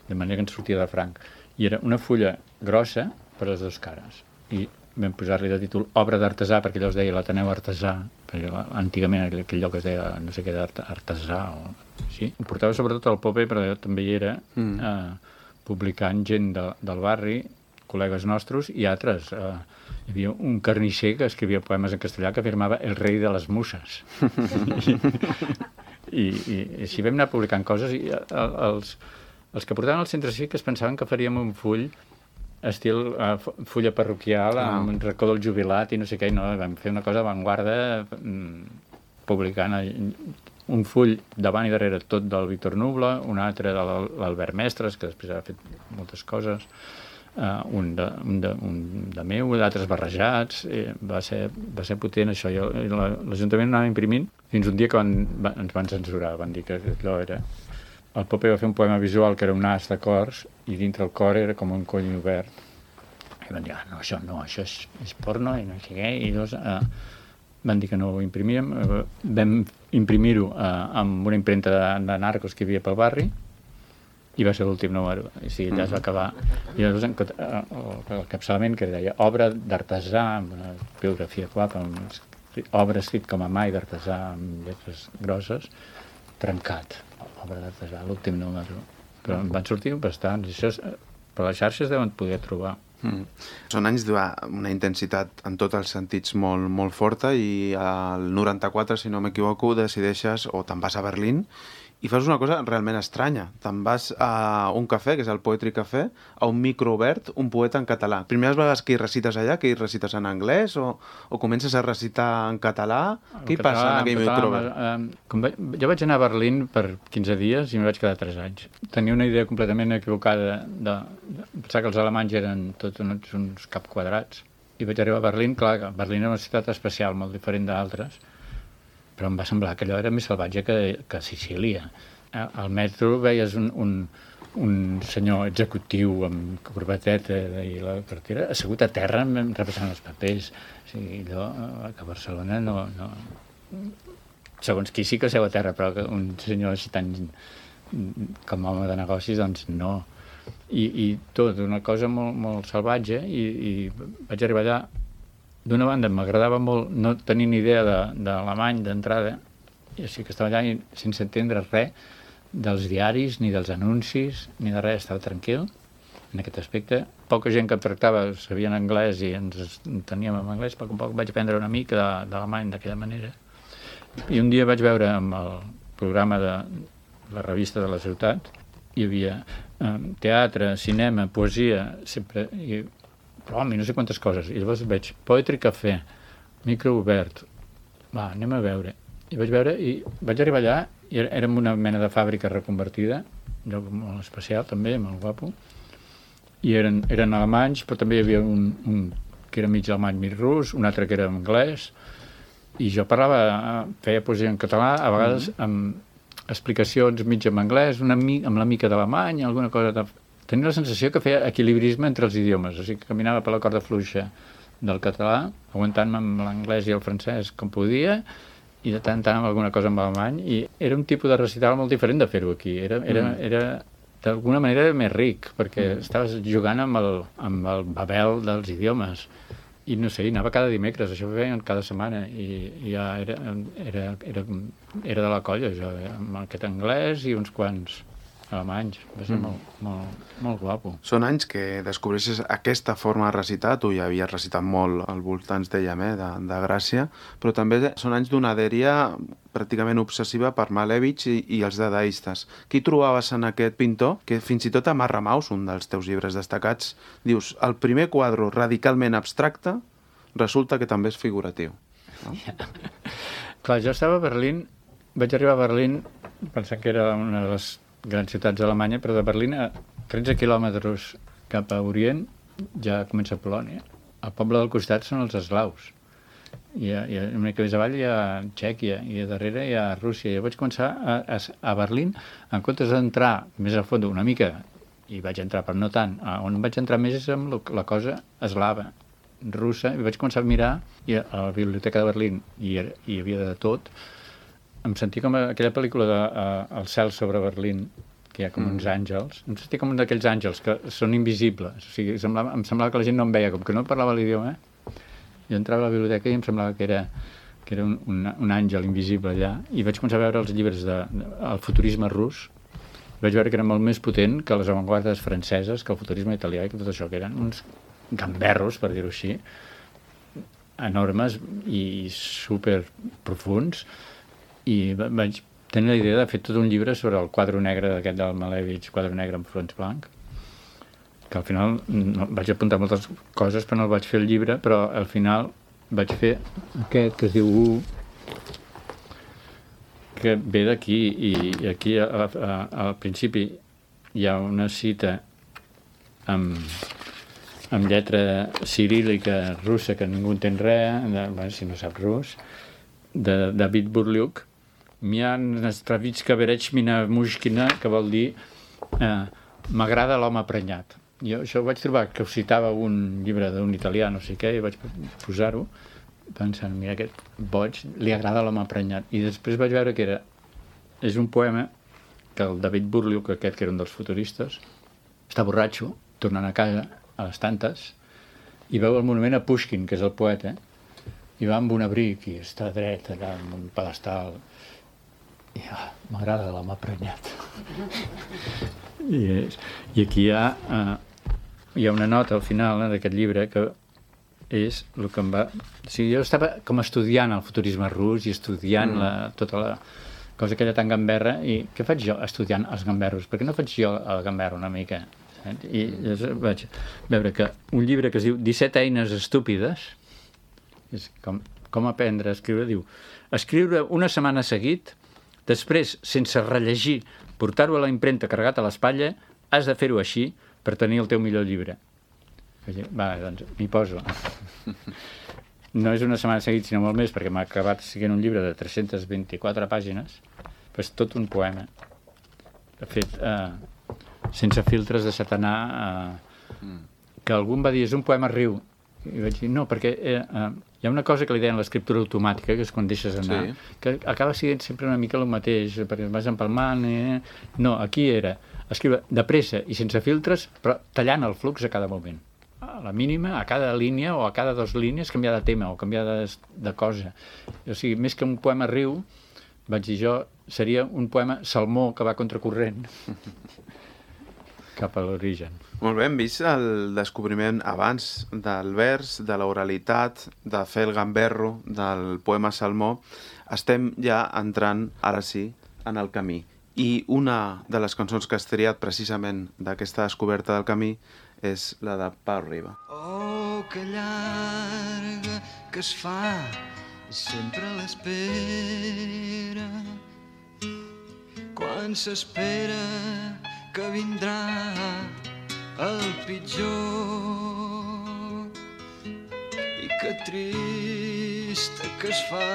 de manera que ens sortia de franc. I era una fulla grossa per les dues cares. I vam posar-li de títol Obra d'Artesà, perquè allò es deia l'Ateneu Artesà, perquè antigament aquell lloc es deia no sé què d'Artesà o així. Ho portava sobretot el Pope, però també hi era mm. eh, publicant gent de, del barri, col·legues nostres i altres. Eh, hi havia un carnisser que escrivia poemes en castellà que afirmava el rei de les muses. I, i, i així vam anar publicant coses i els, els que portaven al centre cívic es pensaven que faríem un full estil uh, fulla parroquial ah. amb un racó del jubilat i no sé què, i no, vam fer una cosa d'avantguarda mm, publicant un full davant i darrere tot del Víctor Nubla, un altre de l'Albert Mestres, que després ha fet moltes coses, Uh, un, de, un, de, un de meu, d'altres barrejats. Eh, va, ser, va ser potent això. L'Ajuntament anava imprimint fins un dia que van, va, ens van censurar, van dir que allò era... El Pope va fer un poema visual que era un as de cors i dintre el cor era com un cony obert. I van dir, ah, no, això no, això és, és porno i no sé què. I llavors uh, van dir que no ho imprimíem. Uh, vam imprimir-ho uh, amb una impremta de, de narcos que hi havia pel barri i va ser l'últim número, i sí, allà es va acabar. I llavors el capçalament que deia obra d'artesà, amb una biografia guapa, obra escrit com a mai d'artesà, amb lletres grosses, trencat, obra d'artesà, l'últim número. Però en van sortir bastants, i això per les xarxes deuen poder trobar. Mm. Són anys d'una intensitat en tots els sentits molt, molt forta i al noranta-quatre, si no m'equivoco, decideixes o te'n vas a Berlín i fas una cosa realment estranya. Te'n vas a un cafè, que és el Poetry Café, a un micro obert, un poeta en català. Primeres vegades que hi recites allà, que hi recites en anglès o, o comences a recitar en català? El Què hi passa en aquell micro obert? Eh, com va, jo vaig anar a Berlín per quinze dies i m'hi vaig quedar tres anys. Tenia una idea completament equivocada de, de pensar que els alemanys eren tots uns, uns cap quadrats. I vaig arribar a Berlín, clar, Berlín era una ciutat especial, molt diferent d'altres, però em va semblar que allò era més salvatge que, que Sicília. Al metro veies un, un, un senyor executiu amb corbateta i la cartera assegut a terra repassant els papers. O sigui, allò que a Barcelona no, no... Segons qui sí que seu a terra, però que un senyor així tan com home de negocis, doncs no. I, i tot, una cosa molt, molt salvatge, i, i vaig arribar allà. D'una banda, m'agradava molt no tenir ni idea d'alemany d'entrada, i així que estava allà i, sense entendre res dels diaris, ni dels anuncis, ni de res, estava tranquil en aquest aspecte. Poca gent que em tractava sabien anglès i ens teníem en anglès, però un poc vaig aprendre una mica d'alemany d'aquella manera. I un dia vaig veure amb el programa de la revista de la ciutat, hi havia eh, teatre, cinema, poesia, sempre... I, però home, no sé quantes coses. I llavors veig Poetry Café, micro obert. Va, anem a veure. I vaig veure i vaig arribar allà era, érem una mena de fàbrica reconvertida, un lloc molt especial també, molt guapo, i eren, eren alemanys, però també hi havia un, un que era mig alemany, mig rus, un altre que era anglès, i jo parlava, feia poesia en català, a vegades mm-hmm. amb explicacions mig en anglès, una mi, amb la mica d'alemany, alguna cosa de... Tenia la sensació que feia equilibrisme entre els idiomes, o sigui que caminava per la corda fluixa del català, aguantant-me amb l'anglès i el francès com podia, i de tant en tant amb alguna cosa amb alemany, i era un tipus de recital molt diferent de fer-ho aquí. Era, era, mm. era d'alguna manera més ric, perquè mm. estaves jugant amb el, amb el babel dels idiomes. I no sé, anava cada dimecres, això ho feien cada setmana, i, i ja era, era, era, era de la colla, jo, amb aquest anglès i uns quants alemanys. Va ser mm. molt, molt, molt guapo. Són anys que descobreixes aquesta forma de recitar. Tu ja havies recitat molt al voltant, dèiem, eh, de, de Gràcia, però també són anys d'una adèria pràcticament obsessiva per Malevich i, i els dadaistes. Qui trobaves en aquest pintor? Que fins i tot a Marramaus, un dels teus llibres destacats, dius, el primer quadre radicalment abstracte resulta que també és figuratiu. No? Ja. Clar, jo estava a Berlín, vaig arribar a Berlín pensant que era una de les grans ciutats d'Alemanya, però de Berlín a tretze quilòmetres cap a Orient ja comença Polònia. El poble del costat són els eslaus. I, i una mica més avall hi ha Txèquia i a darrere hi ha Rússia. Jo vaig començar a, a, a Berlín, en comptes d'entrar més a fons una mica, i vaig entrar però no tant, on vaig entrar més és amb la cosa eslava, russa, i vaig començar a mirar, i a la biblioteca de Berlín hi, hi havia de tot. Em sentia com aquella pel·lícula de uh, El cel sobre Berlín, que hi ha com mm. uns àngels. Em sentia com un d'aquells àngels que són invisibles. O sigui, semblava, em semblava que la gent no em veia, com que no parlava l'idioma. Jo entrava a la biblioteca i em semblava que era, que era un, un, un àngel invisible allà. I vaig començar a veure els llibres del de, de, futurisme rus. Vaig veure que era molt més potent que les avantguardes franceses, que el futurisme italià i que tot això, que eren uns gamberros, per dir-ho així, enormes i super profuns. I vaig tenir la idea de fer tot un llibre sobre el quadre negre d'aquest del Malevich, quadre negre amb fons blanc, que al final no, vaig apuntar moltes coses, però no el vaig fer el llibre, però al final vaig fer aquest que es diu U, que ve d'aquí, i aquí a, a, al principi hi ha una cita amb, amb lletra ciríl·lica russa, que ningú entén res, de, bueno, si no sap rus, de David Burliuk, Mia Nastravitska Berechmina Mushkina, que vol dir eh, m'agrada l'home prenyat. Jo això ho vaig trobar, que ho citava un llibre d'un italià, no sé què, i vaig posar-ho, pensant, mira, aquest boig, li agrada l'home prenyat. I després vaig veure que era, és un poema que el David Burliuk, aquest que era un dels futuristes, està borratxo, tornant a casa, a les tantes, i veu el monument a Pushkin, que és el poeta, i va amb un abric i està dret allà en un pedestal i ah, m'agrada l'home prenyat. I, és, i aquí hi ha, uh, hi ha una nota al final eh, d'aquest llibre que és el que em va... O sigui, jo estava com estudiant el futurisme rus i estudiant mm. la, tota la cosa aquella tan gamberra, i què faig jo estudiant els gamberros? Per què no faig jo el gamberro una mica? I llavors vaig veure que un llibre que es diu disset eines estúpides, és com, com aprendre a escriure, diu escriure una setmana seguit, després, sense rellegir, portar-ho a la impremta carregat a l'espatlla, has de fer-ho així per tenir el teu millor llibre. Va, doncs, m'hi poso. No és una setmana seguit, sinó molt més, perquè m'ha acabat sent un llibre de tres-centes vint-i-quatre pàgines, però és tot un poema, fet eh, sense filtres, deixat anar, eh, que algú em va dir, és un poema riu. I vaig dir, no, perquè eh, eh, hi ha una cosa que li deien l'escriptura automàtica, que és quan deixes anar, sí. que acaba sent sempre una mica el mateix, perquè vas empalmant... Eh? No, aquí era escriure de pressa i sense filtres, però tallant el flux a cada moment. A la mínima, a cada línia o a cada dues línies, canviar de tema o canviar de, de cosa. O sigui, més que un poema riu, vaig dir jo, seria un poema salmó que va contracorrent cap a l'origen. Molt bé, hem vist el descobriment abans del vers, de l'oralitat, de fer el gamberro, del poema salmó. Estem ja entrant, ara sí, en el camí. I una de les cançons que has triat precisament d'aquesta descoberta del camí és la de Pau Riba. Oh, que llarga que es fa, sempre a l'espera, quan s'espera que vindrà el pitjor i que trista que es fa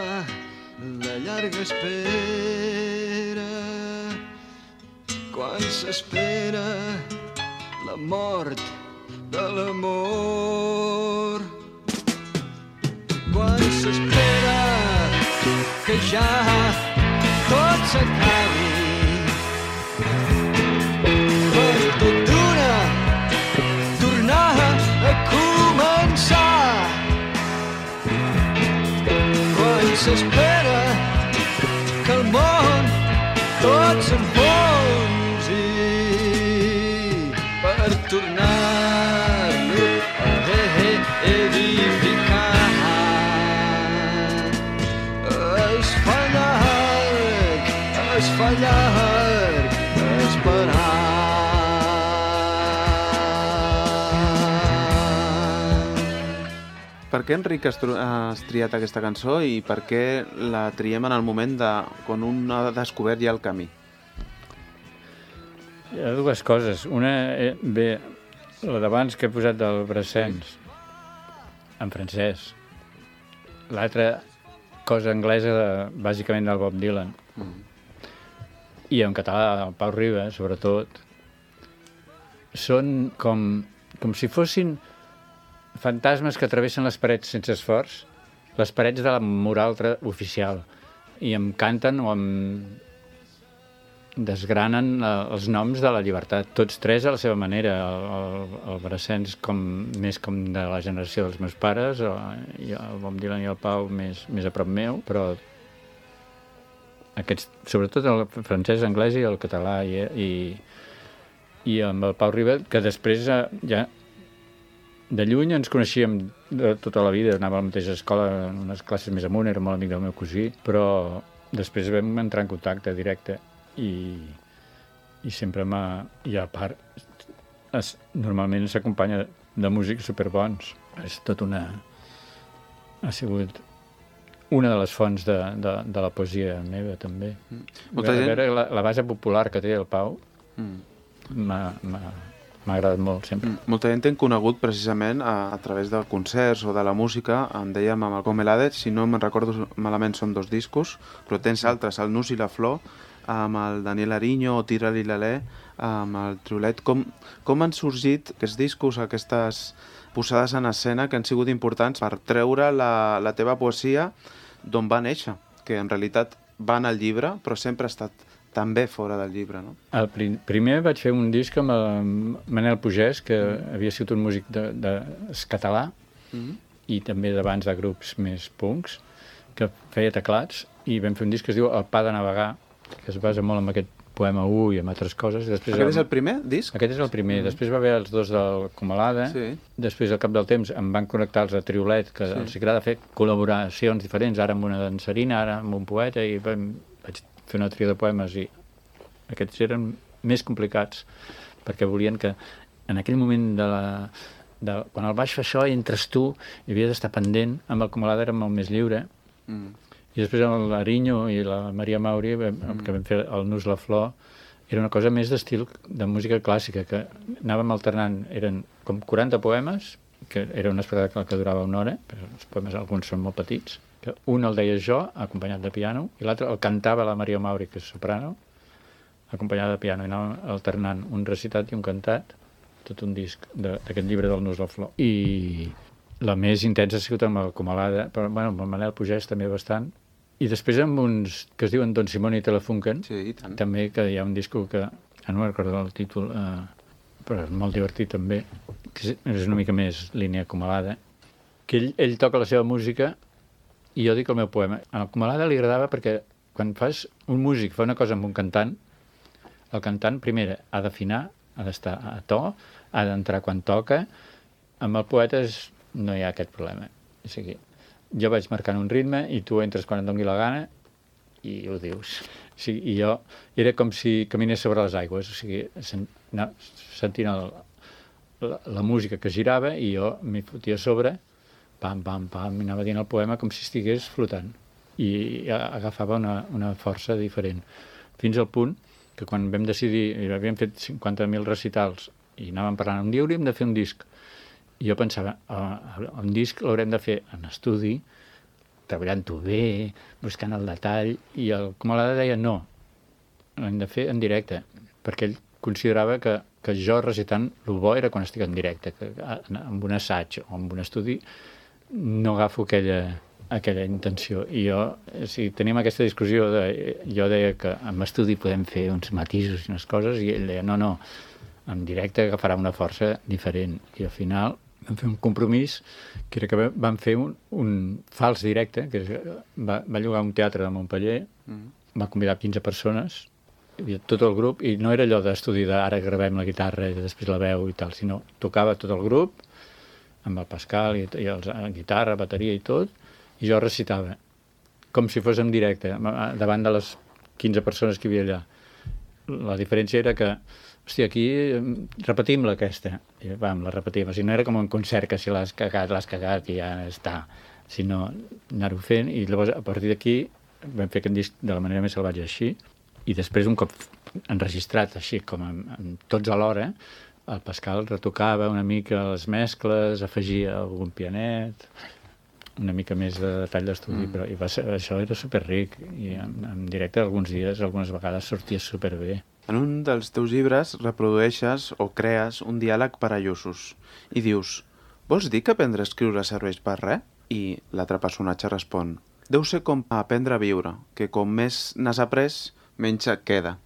la llarga espera quan s'espera la mort de l'amor, quan s'espera que ja tot s'acabi per tot d'una tornar a començar, quan s'espera que el món tot s'enfonsi per tornar-lo a edificar. Es fa llarg, es fa llarg esperar. Per què, Enric, has, has triat aquesta cançó i per què la triem en el moment de quan un ha descobert ja el camí? Hi ha dues coses. Una, eh, bé, la d'abans que he posat del Brassens, en francès. L'altra cosa anglesa, de, bàsicament del Bob Dylan. Mm. I en català, el Pau Riba, sobretot. Són com, com si fossin fantasmes que travessen les parets sense esforç, les parets de la moral oficial, i em canten o em desgranen els noms de la llibertat, tots tres a la seva manera. El, el, el Brassens com, més com de la generació dels meus pares, i el Bob Dylan i el Pau més, més a prop meu, però aquests, sobretot el francès, anglès i el català, i, i, i amb el Pau Riba, que després ja de lluny ens coneixíem de tota la vida, anava a la mateixa escola, en unes classes més amunt, era molt amic del meu cosí, però després vam entrar en contacte directe i, i sempre m'ha... I a part, es, normalment s'acompanya de músics superbons. És tot una... Ha sigut una de les fonts de, de, de la poesia meva, també. Mm. Molta gent... veure la, la base popular que té el Pau mm. m'ha... M'ha agradat molt, sempre. Molta gent t'hem conegut precisament a, a través de concerts o de la música. Em dèiem amb el Comelades, si no me'n recordo malament són dos discos, però tens altres, el Nus i la Flor, amb el Daniel Ariño o Tira-li l'alè, amb el Triolet. Com, com han sorgit aquests discos, aquestes posades en escena que han sigut importants per treure la, la teva poesia d'on va néixer? Que en realitat va en el llibre, però sempre ha estat també fora del llibre, no? El prim, primer vaig fer un disc amb el Manel Pugès, que mm. havia sigut un músic de, de català mm. i també d'abans de grups més punks, que feia teclats, i vam fer un disc que es diu El pa de navegar, que es basa molt en aquest poema u i en altres coses. I després aquest el... és el primer disc? Aquest és el primer. Mm. Després va haver els dos del Comalada. Sí. Després, al cap del temps, em van connectar els de Triolet, que sí. els agrada fer col·laboracions diferents, ara amb una dansarina, ara amb un poeta, i vam... vaig fer una tria de poemes, i aquests eren més complicats perquè volien que en aquell moment de la, de, quan el vaig fer això i entres tu i havies d'estar pendent, amb el Comalada era molt més lliure mm. i després amb l'Ariño i la Maria Mauri mm. que vam fer el Nus la Flor, era una cosa més d'estil de música clàssica, que anàvem alternant, eren com quaranta poemes, que era un espectacle que durava una hora, però els poemes alguns són molt petits, que un el deia jo, acompanyat de piano, i l'altre el cantava la Maria Mauri, que és soprano, acompanyada de piano, i anàvem alternant un recitat i un cantat, tot un disc d'aquest llibre del Nus la Flor. I la més intensa ha sigut amb el Comalada, però bueno, amb el Manel Pugès també bastant, i després amb uns que es diuen Don Simón i Telefunken, sí, i tant. També, que hi ha un disco que, ja no recordo el títol, eh, però és molt divertit també, que és una mica més línia Comalada, que ell, ell toca la seva música i jo dic el meu poema. A el Comalada li agradava perquè quan fas un músic fa una cosa amb un cantant, el cantant primer ha d'afinar, ha d'estar a to, ha d'entrar quan toca. Amb el poeta és, no hi ha aquest problema. O sigui, jo vaig marcant un ritme i tu entres quan et doni la gana i ho dius. O sigui, i jo era com si caminés sobre les aigües, o sigui, sent, no, sentint el, la, la música que girava i jo m'hi fotia a sobre, pam, pam, pam, i anava dient el poema com si estigués flotant. I agafava una, una força diferent. Fins al punt que quan vam decidir, i havíem fet cinquanta mil recitals, i anàvem parlant, un dia hauríem de fer un disc. I jo pensava, oh, un disc l'haurem de fer en estudi, treballant-ho bé, buscant el detall, i el Comolada deia no, l'hem de fer en directe, perquè ell considerava que, que jo recitant el bo era quan estic en directe, que amb un assaig o amb un estudi no agafo aquella, aquella intenció. I jo, si tenim aquesta discussió, de, jo deia que amb estudi podem fer uns matisos i unes coses, i ell deia no, no, en directe agafarà una força diferent. I al final vam fer un compromís, que era que vam fer un, un fals directe, que va, va llogar un teatre de Montpeller, mm. va convidar quinze persones, hi havia tot el grup, i no era allò d'estudi d'ara gravem la guitarra i després la veu i tal, sinó tocava tot el grup, amb el Pascal i, i els, la guitarra, bateria i tot, i jo recitava, com si fos en directe, davant de les quinze persones que hi havia allà. La diferència era que, hòstia, aquí repetim-la aquesta, i vam, la repetim, o sigui, no era com un concert que si l'has cagat, l'has cagat i ja està, sinó anar-ho fent, i llavors a partir d'aquí vam fer aquest disc de la manera més salvatge així, i després un cop enregistrat així com amb, amb tots alhora, el Pascal retocava una mica les mescles, afegia algun pianet, una mica més de detall d'estudi, mm. però i va ser, això era superric, i en, en directe alguns dies, algunes vegades sortia superbé. En un dels teus llibres reprodueixes o crees un diàleg per a lluços i dius, vols dir que aprendre a escriure serveix per res? I l'altre personatge respon, deu ser com aprendre a viure, que com més n'has après, menys et queda.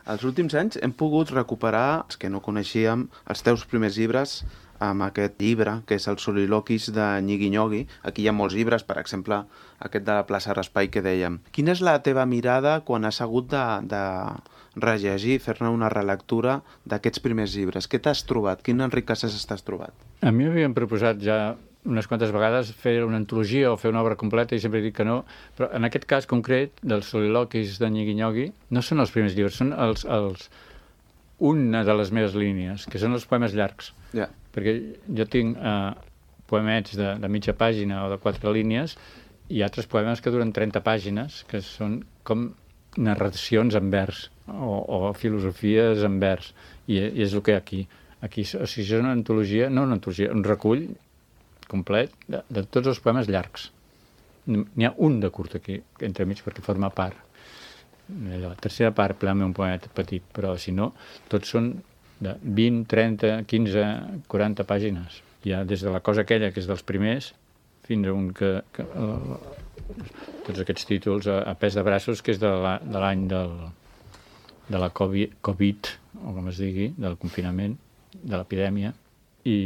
Els últims anys hem pogut recuperar, els que no coneixíem, els teus primers llibres amb aquest llibre, que és el Soliloquis de Nyigui-Nyogui. Aquí hi ha molts llibres, per exemple, aquest de la plaça Raspail que dèiem. Quina és la teva mirada quan has hagut de, de rellegir, fer-ne una relectura d'aquests primers llibres? Què t'has trobat? Quin Enric Casas t'has trobat? A mi m'havien proposat ja unes quantes vegades fer una antologia o fer una obra completa i sempre dic que no, però en aquest cas concret dels Soliloquis de Nyigui-Nyogui no són els primers llibres, són els, els, una de les meves línies, que són els poemes llargs. Yeah. Perquè jo tinc eh, poemets de, de mitja pàgina o de quatre línies i altres poemes que duren trenta pàgines, que són com narracions en vers o, o filosofies en vers, i, i és el que hi ha aquí. Aquí, o sigui, és una antologia, no una antologia, un recull complet de, de tots els poemes llargs. N'hi ha un de curt aquí, entremig, perquè forma part. La tercera part, plana un poemet petit, però si no, tots són de vint, trenta, quinze, quaranta pàgines. Hi ha des de la cosa aquella, que és dels primers, fins a un que... que uh, tots aquests títols a, a pes de braços, que és de l'any de, de la COVID, COVID, o com es digui, del confinament, de l'epidèmia, i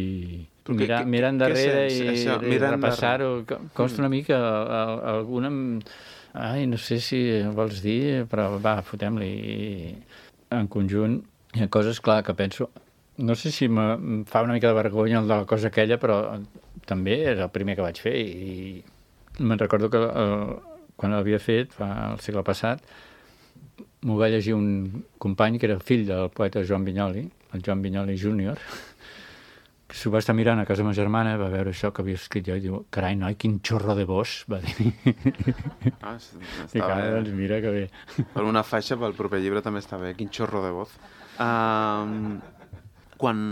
mirar, mirar endarrere i, i repassar-ho. Costa una mica, alguna... Ai, no sé si vols dir, però va, fotem-li. En conjunt, hi ha coses, clar, que penso... No sé si em fa una mica de vergonya el de la cosa aquella, però també és el primer que vaig fer. I me'n recordo que el, quan l'havia fet, fa el segle passat, m'ho va llegir un company que era fill del poeta Joan Vinyoli, el Joan Vinyoli júnior, que s'ho va estar mirant a casa meva germana, va veure això que havia escrit jo i diu, carai, noi, quin xorro de vos, va dir. Ah, estava... I clar, doncs mira que bé. Per una faixa, pel proper llibre també està bé, quin xorro de voz. Um, quan...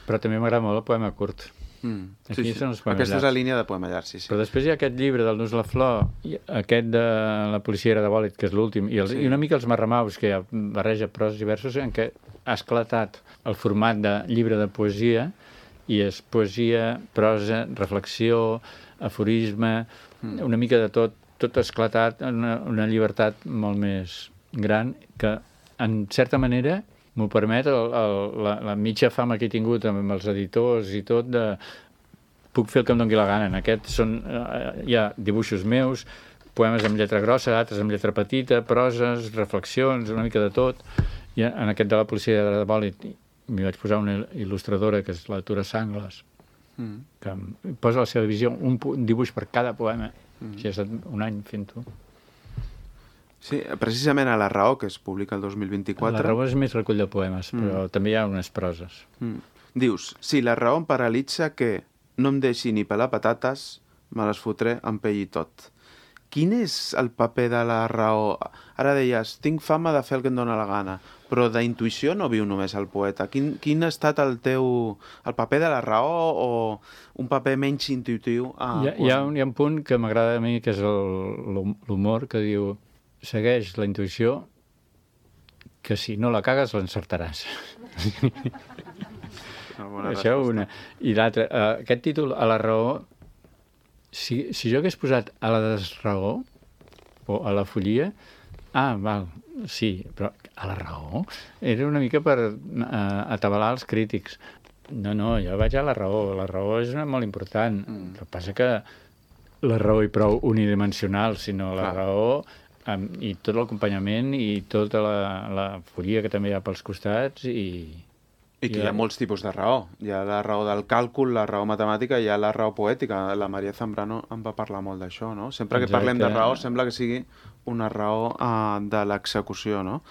Però també m'agrada molt el poema curt. Mm, Aquí sí, sí. són els poemes Aquesta llargs. és la línia de poema llarg, sí, sí. Però després hi ha aquest llibre del Nus la Flor, i aquest de la policia de Bòlit, que és l'últim, i, els, sí. i una mica els Marramaus, que ja barreja pros i versos, en què ha esclatat el format de llibre de poesia, i és poesia, prosa, reflexió, aforisme, mm. una mica de tot, tot esclatat en una, una llibertat molt més gran que, en certa manera, m'ho permet el, el, la, la mitja fama que he tingut amb els editors i tot, de puc fer el que em doni la gana. En aquest són, eh, hi ha dibuixos meus, poemes amb lletra grossa, altres amb lletra petita, proses, reflexions, una mica de tot. I en aquest de la policia de Bòlit m'hi vaig posar una il·lustradora, que és la Tura Sangles, mm. que em posa la seva visió, un, un dibuix per cada poema. Mm. Així he estat un any fent-ho. Sí, precisament a La Raó, que es publica el dos mil vint-i-quatre... La Raó és més recull de poemes, mm. però també hi ha unes proses. Mm. Dius, si la raó em paralitza, que no em deixi ni pelar patates, me les fotré amb pell i tot. Quin és el paper de la raó? Ara deies, tinc fama de fer el que em dóna la gana, però d'intuïció no viu només el poeta. Quin, quin ha estat el teu... el paper de la raó o un paper menys intuïtiu? Ah, hi, ha, quan... hi, ha un, hi ha un punt que m'agrada a mi, que és l'humor, que diu segueix la intuïció, que si no la cagues l'encertaràs. Això una. I l'altre, uh, aquest títol, a la raó, si, si jo hagués posat a la desraó o a la follia, ah, val, sí, però a la raó era una mica per uh, atabalar els crítics. No, no, jo vaig a la raó, la raó és una molt important. Mm. El que passa que la raó i prou unidimensional, sinó la Clar. raó um, i tot l'acompanyament i tota la, la follia que també hi ha pels costats i... I que hi ha molts tipus de raó. Hi ha la raó del càlcul, la raó matemàtica, hi ha la raó poètica. La Maria Zambrano en va parlar molt d'això, no? Sempre que Exacte. parlem de raó, sembla que sigui una raó uh, de l'execució, no?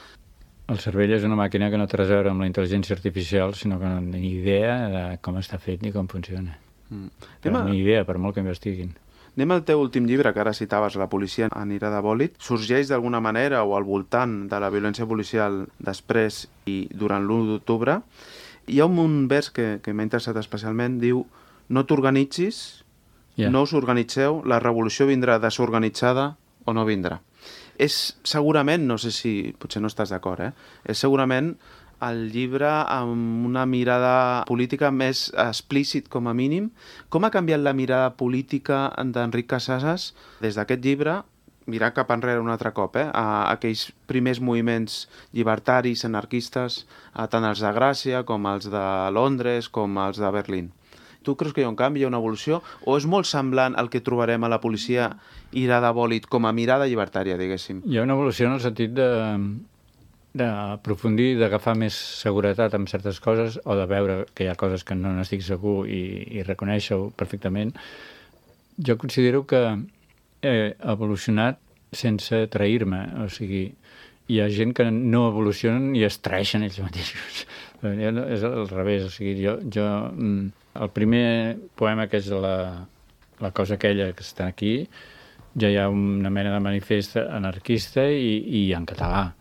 El cervell és una màquina que no té res a veure amb la intel·ligència artificial, sinó que no té ni idea de com està fet ni com funciona. Mm. Però ni idea, per molt que investiguin. Anem al teu últim llibre, que ara citaves, La policia anirà de bòlit. Sorgeix d'alguna manera o al voltant de la violència policial després i durant l'u d'octubre. Hi ha un vers que, que m'ha interessat especialment, diu: no t'organitzis, yeah. no us organitzeu, la revolució vindrà desorganitzada o no vindrà. És segurament, no sé si, potser no estàs d'acord, eh? és segurament el llibre amb una mirada política més explícit, com a mínim. Com ha canviat la mirada política d'Enric Casasses des d'aquest llibre, mirar cap enrere un altre cop, eh? a aquells primers moviments llibertaris, anarquistes, a tant els de Gràcia com els de Londres, com els de Berlín? Tu creus que hi ha un canvi, hi ha una evolució, o és molt semblant al que trobarem a la policia irà de bòlit com a mirada llibertària, diguéssim? Hi ha una evolució en el sentit de... d'aprofundir, d'agafar més seguretat en certes coses o de veure que hi ha coses que no n'estic segur i, i reconèixer-ho perfectament. Jo considero que he evolucionat sense trair-me, o sigui, hi ha gent que no evolucionen i es traeixen ells mateixos. És al revés, o sigui, jo, jo el primer poema, que és la, la cosa aquella que està aquí, ja hi ha una mena de manifest anarquista i, i en català.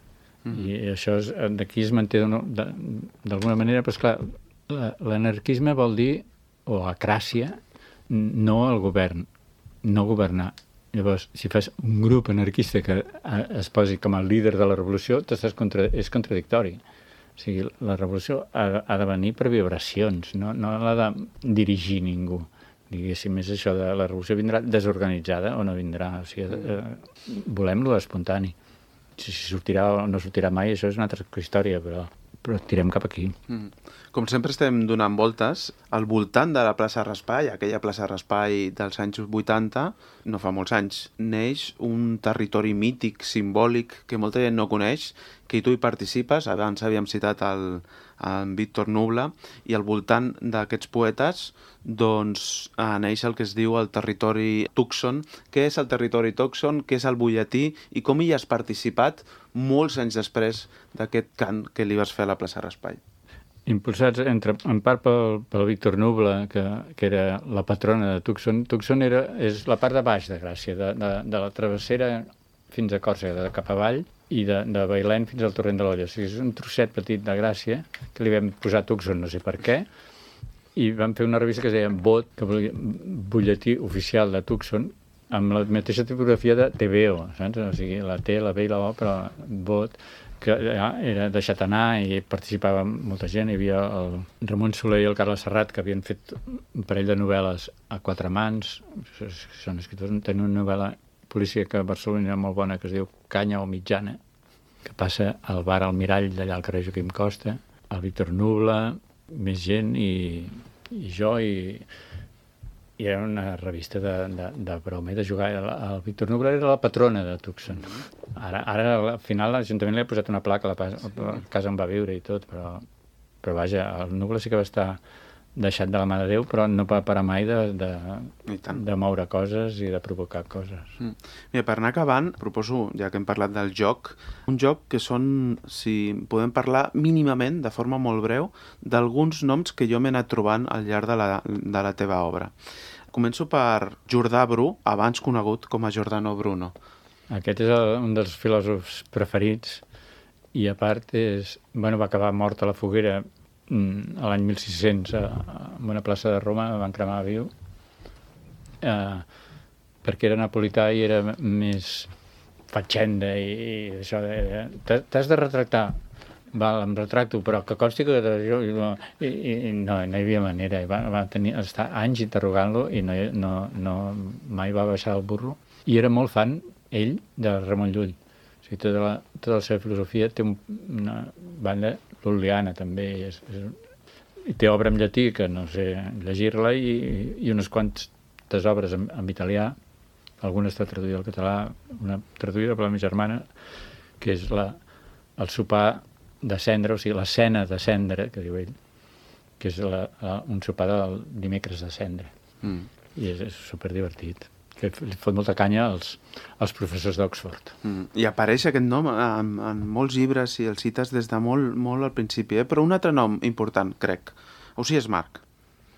I això d'aquí es manté d'alguna manera, però esclar, l'anarquisme vol dir, o acràcia, no el govern, no governar. Llavors, si fas un grup anarquista que es posi com a líder de la revolució, contra, és contradictori. O sigui, la revolució ha, ha de venir per vibracions, no, no l'ha de dirigir ningú. Diguéssim, és això de la revolució vindrà desorganitzada o no vindrà. O sigui, eh, volem-lo espontani. Si sortirà o no sortirà mai, això és una altra història, però, però tirem cap aquí. Mm. Com sempre estem donant voltes, al voltant de la plaça Raspail, aquella plaça Raspail dels anys vuitanta, no fa molts anys, neix un territori mític, simbòlic, que molta gent no coneix, que tu hi participes. Abans havíem citat el, el Víctor Nubla, i al voltant d'aquests poetes doncs eh, neix el que es diu el territori Tucson. Què és el territori Tucson? Què és el butlletí? I com hi has participat molts anys després d'aquest cant que li vas fer a la plaça Raspail? Impulsats entre, en part pel, pel Víctor Nubla, que, que era la patrona de Tucson. Tucson era, és la part de baix de Gràcia, de, de, de la travessera fins a Còrsega, de cap avall, i de, de Bailèn fins al Torrent de l'Olla. O sigui, és un trosset petit de Gràcia que li vam posar Tucson, no sé per què, i vam fer una revista que es deia Vot, que volia butlletí oficial de Tucson, amb la mateixa tipografia de T V O, saps? O sigui, la T, la B i la O, però Vot, que ja era deixat anar i participava molta gent. Hi havia el Ramon Soler i el Carles Serrat, que havien fet un parell de novel·les a quatre mans. Són escriptors. Tenen una novel·la policíaca a Barcelona molt bona que es diu Canya o Mitjana, que passa al bar al Mirall d'allà al carrer Joaquim Costa, el Víctor Nubla, més gent i, i jo, i, i era una revista de, de, de broma i de jugar. El, el Víctor Nubla era la patrona de Tucson. Ara, ara al final l'Ajuntament li ha posat una placa a la, a la casa on va viure i tot, però, però vaja, el Nubla sí que va estar deixat de la mà de Déu, però no va parar mai de, de, de moure coses i de provocar coses. Mm. Mira, per anar acabant, proposo, ja que hem parlat del joc, un joc que són, si podem parlar mínimament, de forma molt breu, d'alguns noms que jo m'he anat trobant al llarg de la, de la teva obra. Començo per Jordà Bru, abans conegut com a Giordano Bruno. Aquest és el, un dels filòsofs preferits i a part és, bueno, va acabar mort a la foguera mm, a l'any mil sis-cents a, en una plaça de Roma, van cremar viu, eh, perquè era napolità i era més fatxenda i, i això de... T'has de retractar. Val, em retracto, però que consti que... I, i, i no, no hi havia manera. Va, va tenir, estar anys interrogant-lo i no, no, no, mai va baixar del burro. I era molt fan, ell, de Ramon Llull. O sigui, tota la, tota la seva filosofia té un, una banda lul·liana, també. És, és, i té obra en llatí, que no sé llegir-la, i, i unes quantes obres en, en italià. Alguna està traduïda al català, una traduïda per la meva germana, que és la, el sopar de cendra, o sigui, la cena de cendra, que diu ell, que és la, la, un sopar del dimecres de cendra. Mm. I és, és superdivertit. Que li fot molta canya als, als professors d'Oxford. Mm. I apareix aquest nom en, en molts llibres i el cites des de molt, molt al principi, eh? Però un altre nom important, crec. Ausiàs March.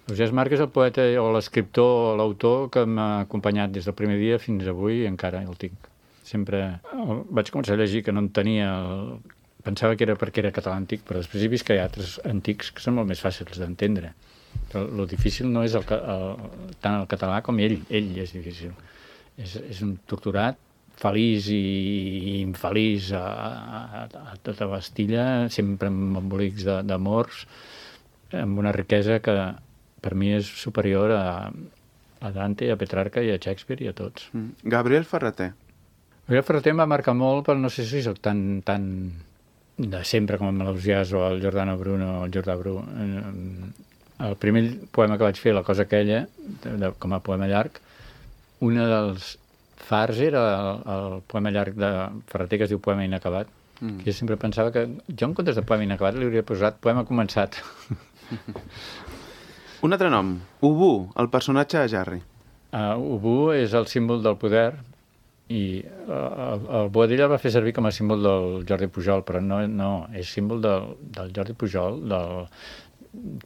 Ausiàs March és el poeta o l'escriptor o l'autor que m'ha acompanyat des del primer dia fins avui i encara el tinc. Sempre el vaig començar a llegir que no en tenia... El... Pensava que era perquè era català antic, però després he vist que hi ha altres antics que són molt més fàcils d'entendre. Però el difícil no és el, el, tant el català com ell. Ell és difícil. És, és un torturat, feliç i, i infeliç a, a, a tota bastilla, sempre amb embolics d'amors, amb una riquesa que per mi és superior a, a Dante, a Petrarca i a Shakespeare i a tots. Mm. Gabriel Ferrater. Gabriel Ferrater em va marcar molt, però no sé si soc tan... tan de sempre com el Ausiàs o el Giordano Bruno o el Jordà Bru. El primer poema que vaig fer, La cosa aquella, de, de, com a poema llarg, un dels fars era el, el poema llarg de Ferrater que es diu Poema inacabat. Mm. Jo sempre pensava que jo en comptes de poema inacabat li hauria posat poema començat. Un altre nom, Ubu, el personatge de Jarry. Uh, Ubu és el símbol del poder i el, el Boadilla el va fer servir com a símbol del Jordi Pujol, però no, no és símbol del, del Jordi Pujol, del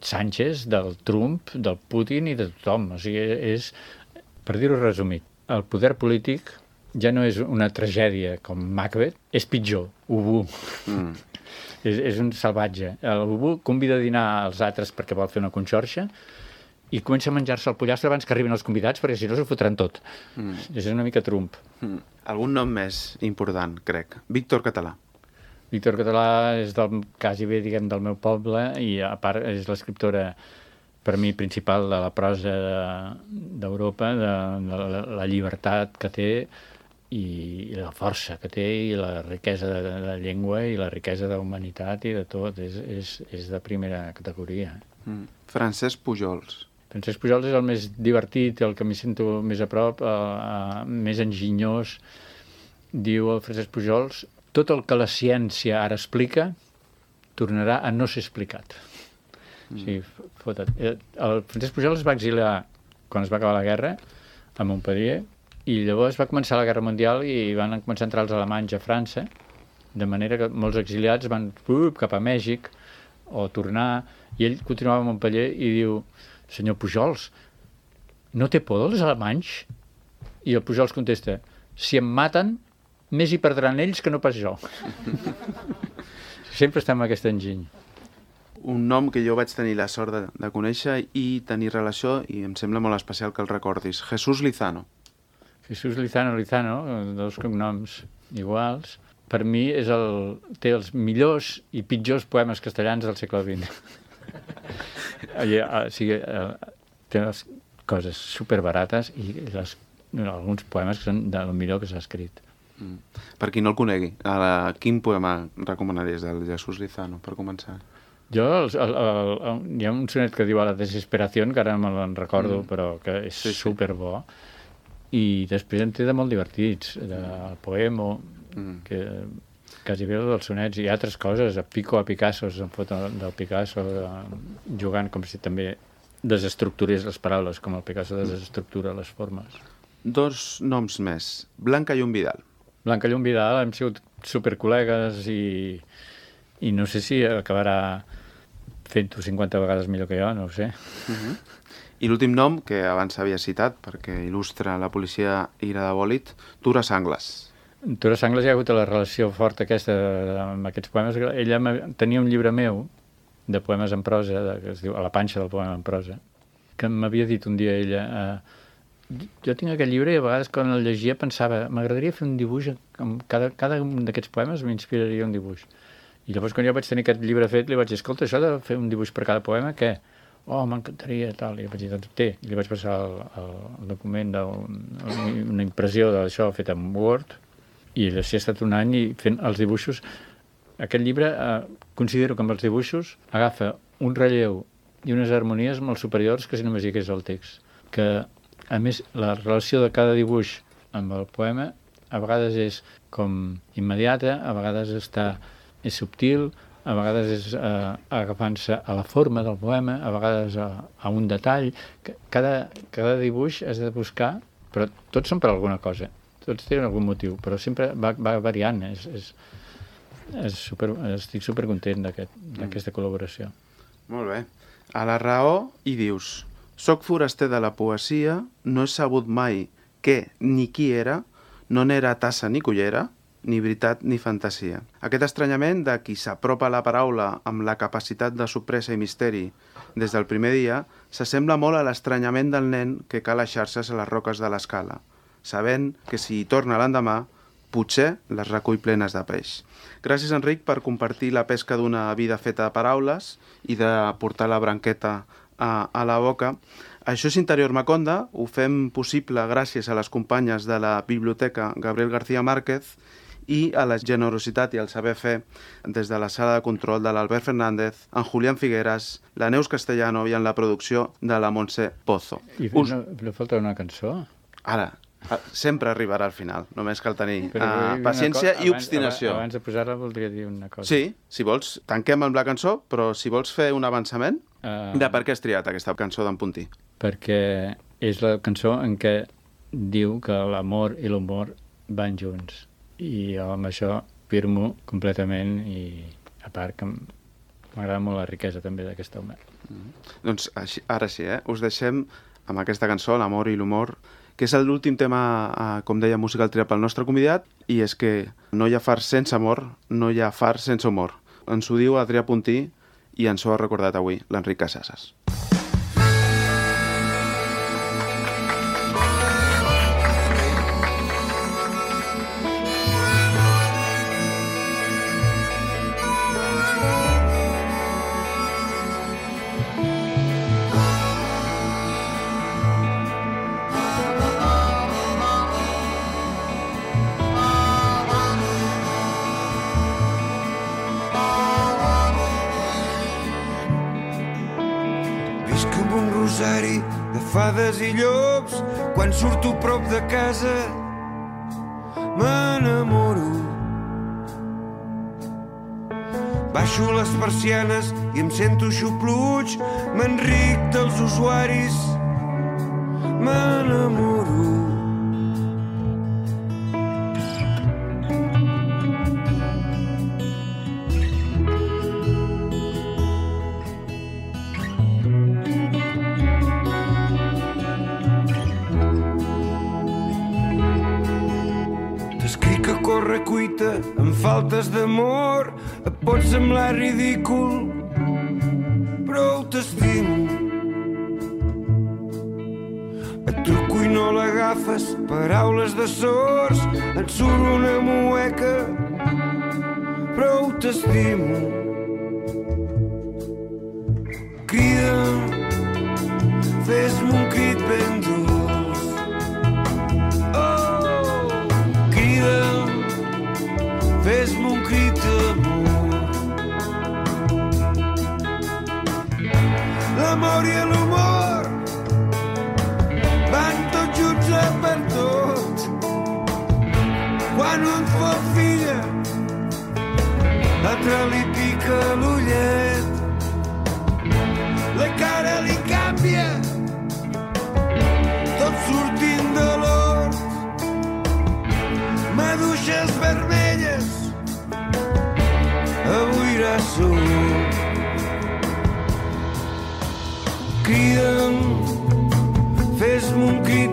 Sánchez, del Trump, del Putin i de tothom. O sigui, és, per dir-ho resumit, el poder polític ja no és una tragèdia com Macbeth, és pitjor, Ubu. Mm. és, és un salvatge. El Ubu convida a dinar als altres perquè vol fer una conxorxa i comença a menjar-se el pollastre abans que arribin els convidats, perquè si no s'ho fotran tot. Mm. És una mica Trump. Mm. Algun nom més important, crec. Víctor Català. Víctor Català és del, quasi bé, diguem, del meu poble i a part és l'escriptora per mi principal de la prosa d'Europa, de, de, de la llibertat que té i, i la força que té i la riquesa de, de, de llengua i la riquesa d'humanitat i de tot. És, és, és de primera categoria. Mm. Francesc Pujols. Francesc Pujols és el més divertit, el que m'hi sento més a prop, eh, eh, més enginyós. Diu el Francesc Pujols, tot el que la ciència ara explica tornarà a no ser explicat. Mm. O sigui, fota't. El Francesc Pujols es va exiliar quan es va acabar la guerra a Montpellier i llavors va començar la Guerra Mundial i van començar a entrar els alemanys a França, de manera que molts exiliats van uh, cap a Mèxic o tornar, i ell continuava a Montpellier i diu, senyor Pujols, no té por dels alemanys? I el Pujols contesta, si em maten, més hi perdran ells que no pas jo. Sempre està amb aquest enginy. Un nom que jo vaig tenir la sort de, de conèixer i tenir relació, i em sembla molt especial que el recordis, Jesús Lizano. Jesús Lizano, Lizano, dos cognoms iguals, per mi és el, té els millors i pitjors poemes castellans del segle vint. I, o sigui, té les coses superbarates i les, alguns poemes que són del millor que s'ha escrit. Mm. Per qui no el conegui, a la, quin poema recomanaries del Jesús Lizano, per començar? Jo, el, el, el, el, hi ha un sonet que diu a la desesperació, que ara me'n recordo, mm. però que és sí, sí. superbo. I després en té de molt divertits, del Poemo, mm. que quasi bé dels sonets i altres coses, a Pico, a Picasso, se'n fot del Picasso, jugant com si també desestructurés les paraules, com el Picasso desestructura les formes. Dos noms més, Blanca Llum Vidal. Blanca Llum Vidal, hem sigut supercol·legues i, i no sé si acabarà fent-ho cinquanta vegades millor que jo, no ho sé. Uh-huh. I l'últim nom, que abans s'havia citat, perquè il·lustra la policia Ira de Bòlit, Tura Sangles. Tura Sangles hi ha hagut la relació forta aquesta amb aquests poemes. Ella tenia un llibre meu de poemes en prosa, de, que es diu A la panxa del poema en prosa, que m'havia dit un dia ella, eh, jo tinc aquest llibre i a vegades quan el llegia pensava, m'agradaria fer un dibuix, amb cada, cada un d'aquests poemes m'inspiraria un dibuix. I llavors quan jo vaig tenir aquest llibre fet, li vaig dir, escolta, això de fer un dibuix per cada poema, què? Oh, m'encantaria, tal. I vaig dir, doncs té. I li vaig passar el, el, el document d'una impressió d'això fet en Word, i així ha estat un any i fent els dibuixos. Aquest llibre, eh, considero que amb els dibuixos agafa un relleu i unes harmonies molt superiors que si només hi hagués el text. Que, a més, la relació de cada dibuix amb el poema a vegades és com immediata, a vegades està, és subtil, a vegades és eh, agafant-se a la forma del poema, a vegades a, a un detall. Cada, cada dibuix has de buscar, però tots són per alguna cosa, tots tenen algun motiu, però sempre va, va variant. És, és, és super, estic supercontent d'aquest, d'aquesta col·laboració. Molt bé. A la raó hi dius, soc foraster de la poesia, no he sabut mai què ni qui era, no n'era tassa ni cullera, ni veritat ni fantasia. Aquest estranyament de qui s'apropa a la paraula amb la capacitat de sorpresa i misteri des del primer dia s'assembla molt a l'estranyament del nen que cala xarxes a les roques de l'escala, sabent que si hi torna l'endemà, potser les recull plenes de peix. Gràcies, Enric, per compartir la pesca d'una vida feta de paraules i de portar la branqueta a, a la boca. Això és Interior Maconda, ho fem possible gràcies a les companyes de la Biblioteca Gabriel García Márquez i a la generositat i al saber fer des de la sala de control de l'Albert Fernández, en Julián Figueras, la Neus Castellano i en la producció de la Montse Pozo. I Us... no, no falta una cançó? Ara, sempre arribarà al final, només cal tenir uh, paciència i obstinació. Abans, abans de posar-la voldria dir una cosa. Sí, si vols, tanquem amb la cançó, però si vols fer un avançament, uh... de per què has triat aquesta cançó d'en Puntí? Perquè és la cançó en què diu que l'amor i l'humor van junts. I amb això firmo completament i a part que m'agrada molt la riquesa també d'aquest home. Mm. Doncs així, ara sí, eh? Us deixem amb aquesta cançó, l'amor i l'humor, que és l'últim tema, eh, com deia, musical triat pel nostre convidat, i és que no hi ha fars sense amor, no hi ha fars sense humor. Ens ho diu Adrià Puntí i ens ho ha recordat avui l'Enric Casasses. De fades i llops, quan surto prop de casa m'enamoro. Baixo les persianes i em sento xupluig, m'enric dels usuaris, m'enamoro. Cuita amb faltes d'amor, et pot semblar ridícul, però t'estimo. Et truco i no l'agafes, paraules de sords, et surt una mueca, però t'estimo. Crida, fes-me un crit ben dolç. Oh, crida, fes-me un crit d'amor. L'amor i l'humor van tots junts a per tot. Quan un fa filla, l'altre li pica l'ullet. La cara li canvia, tot sortint de l'hort. Maduixes vermelles, avui era sol. criden, fes-me un crit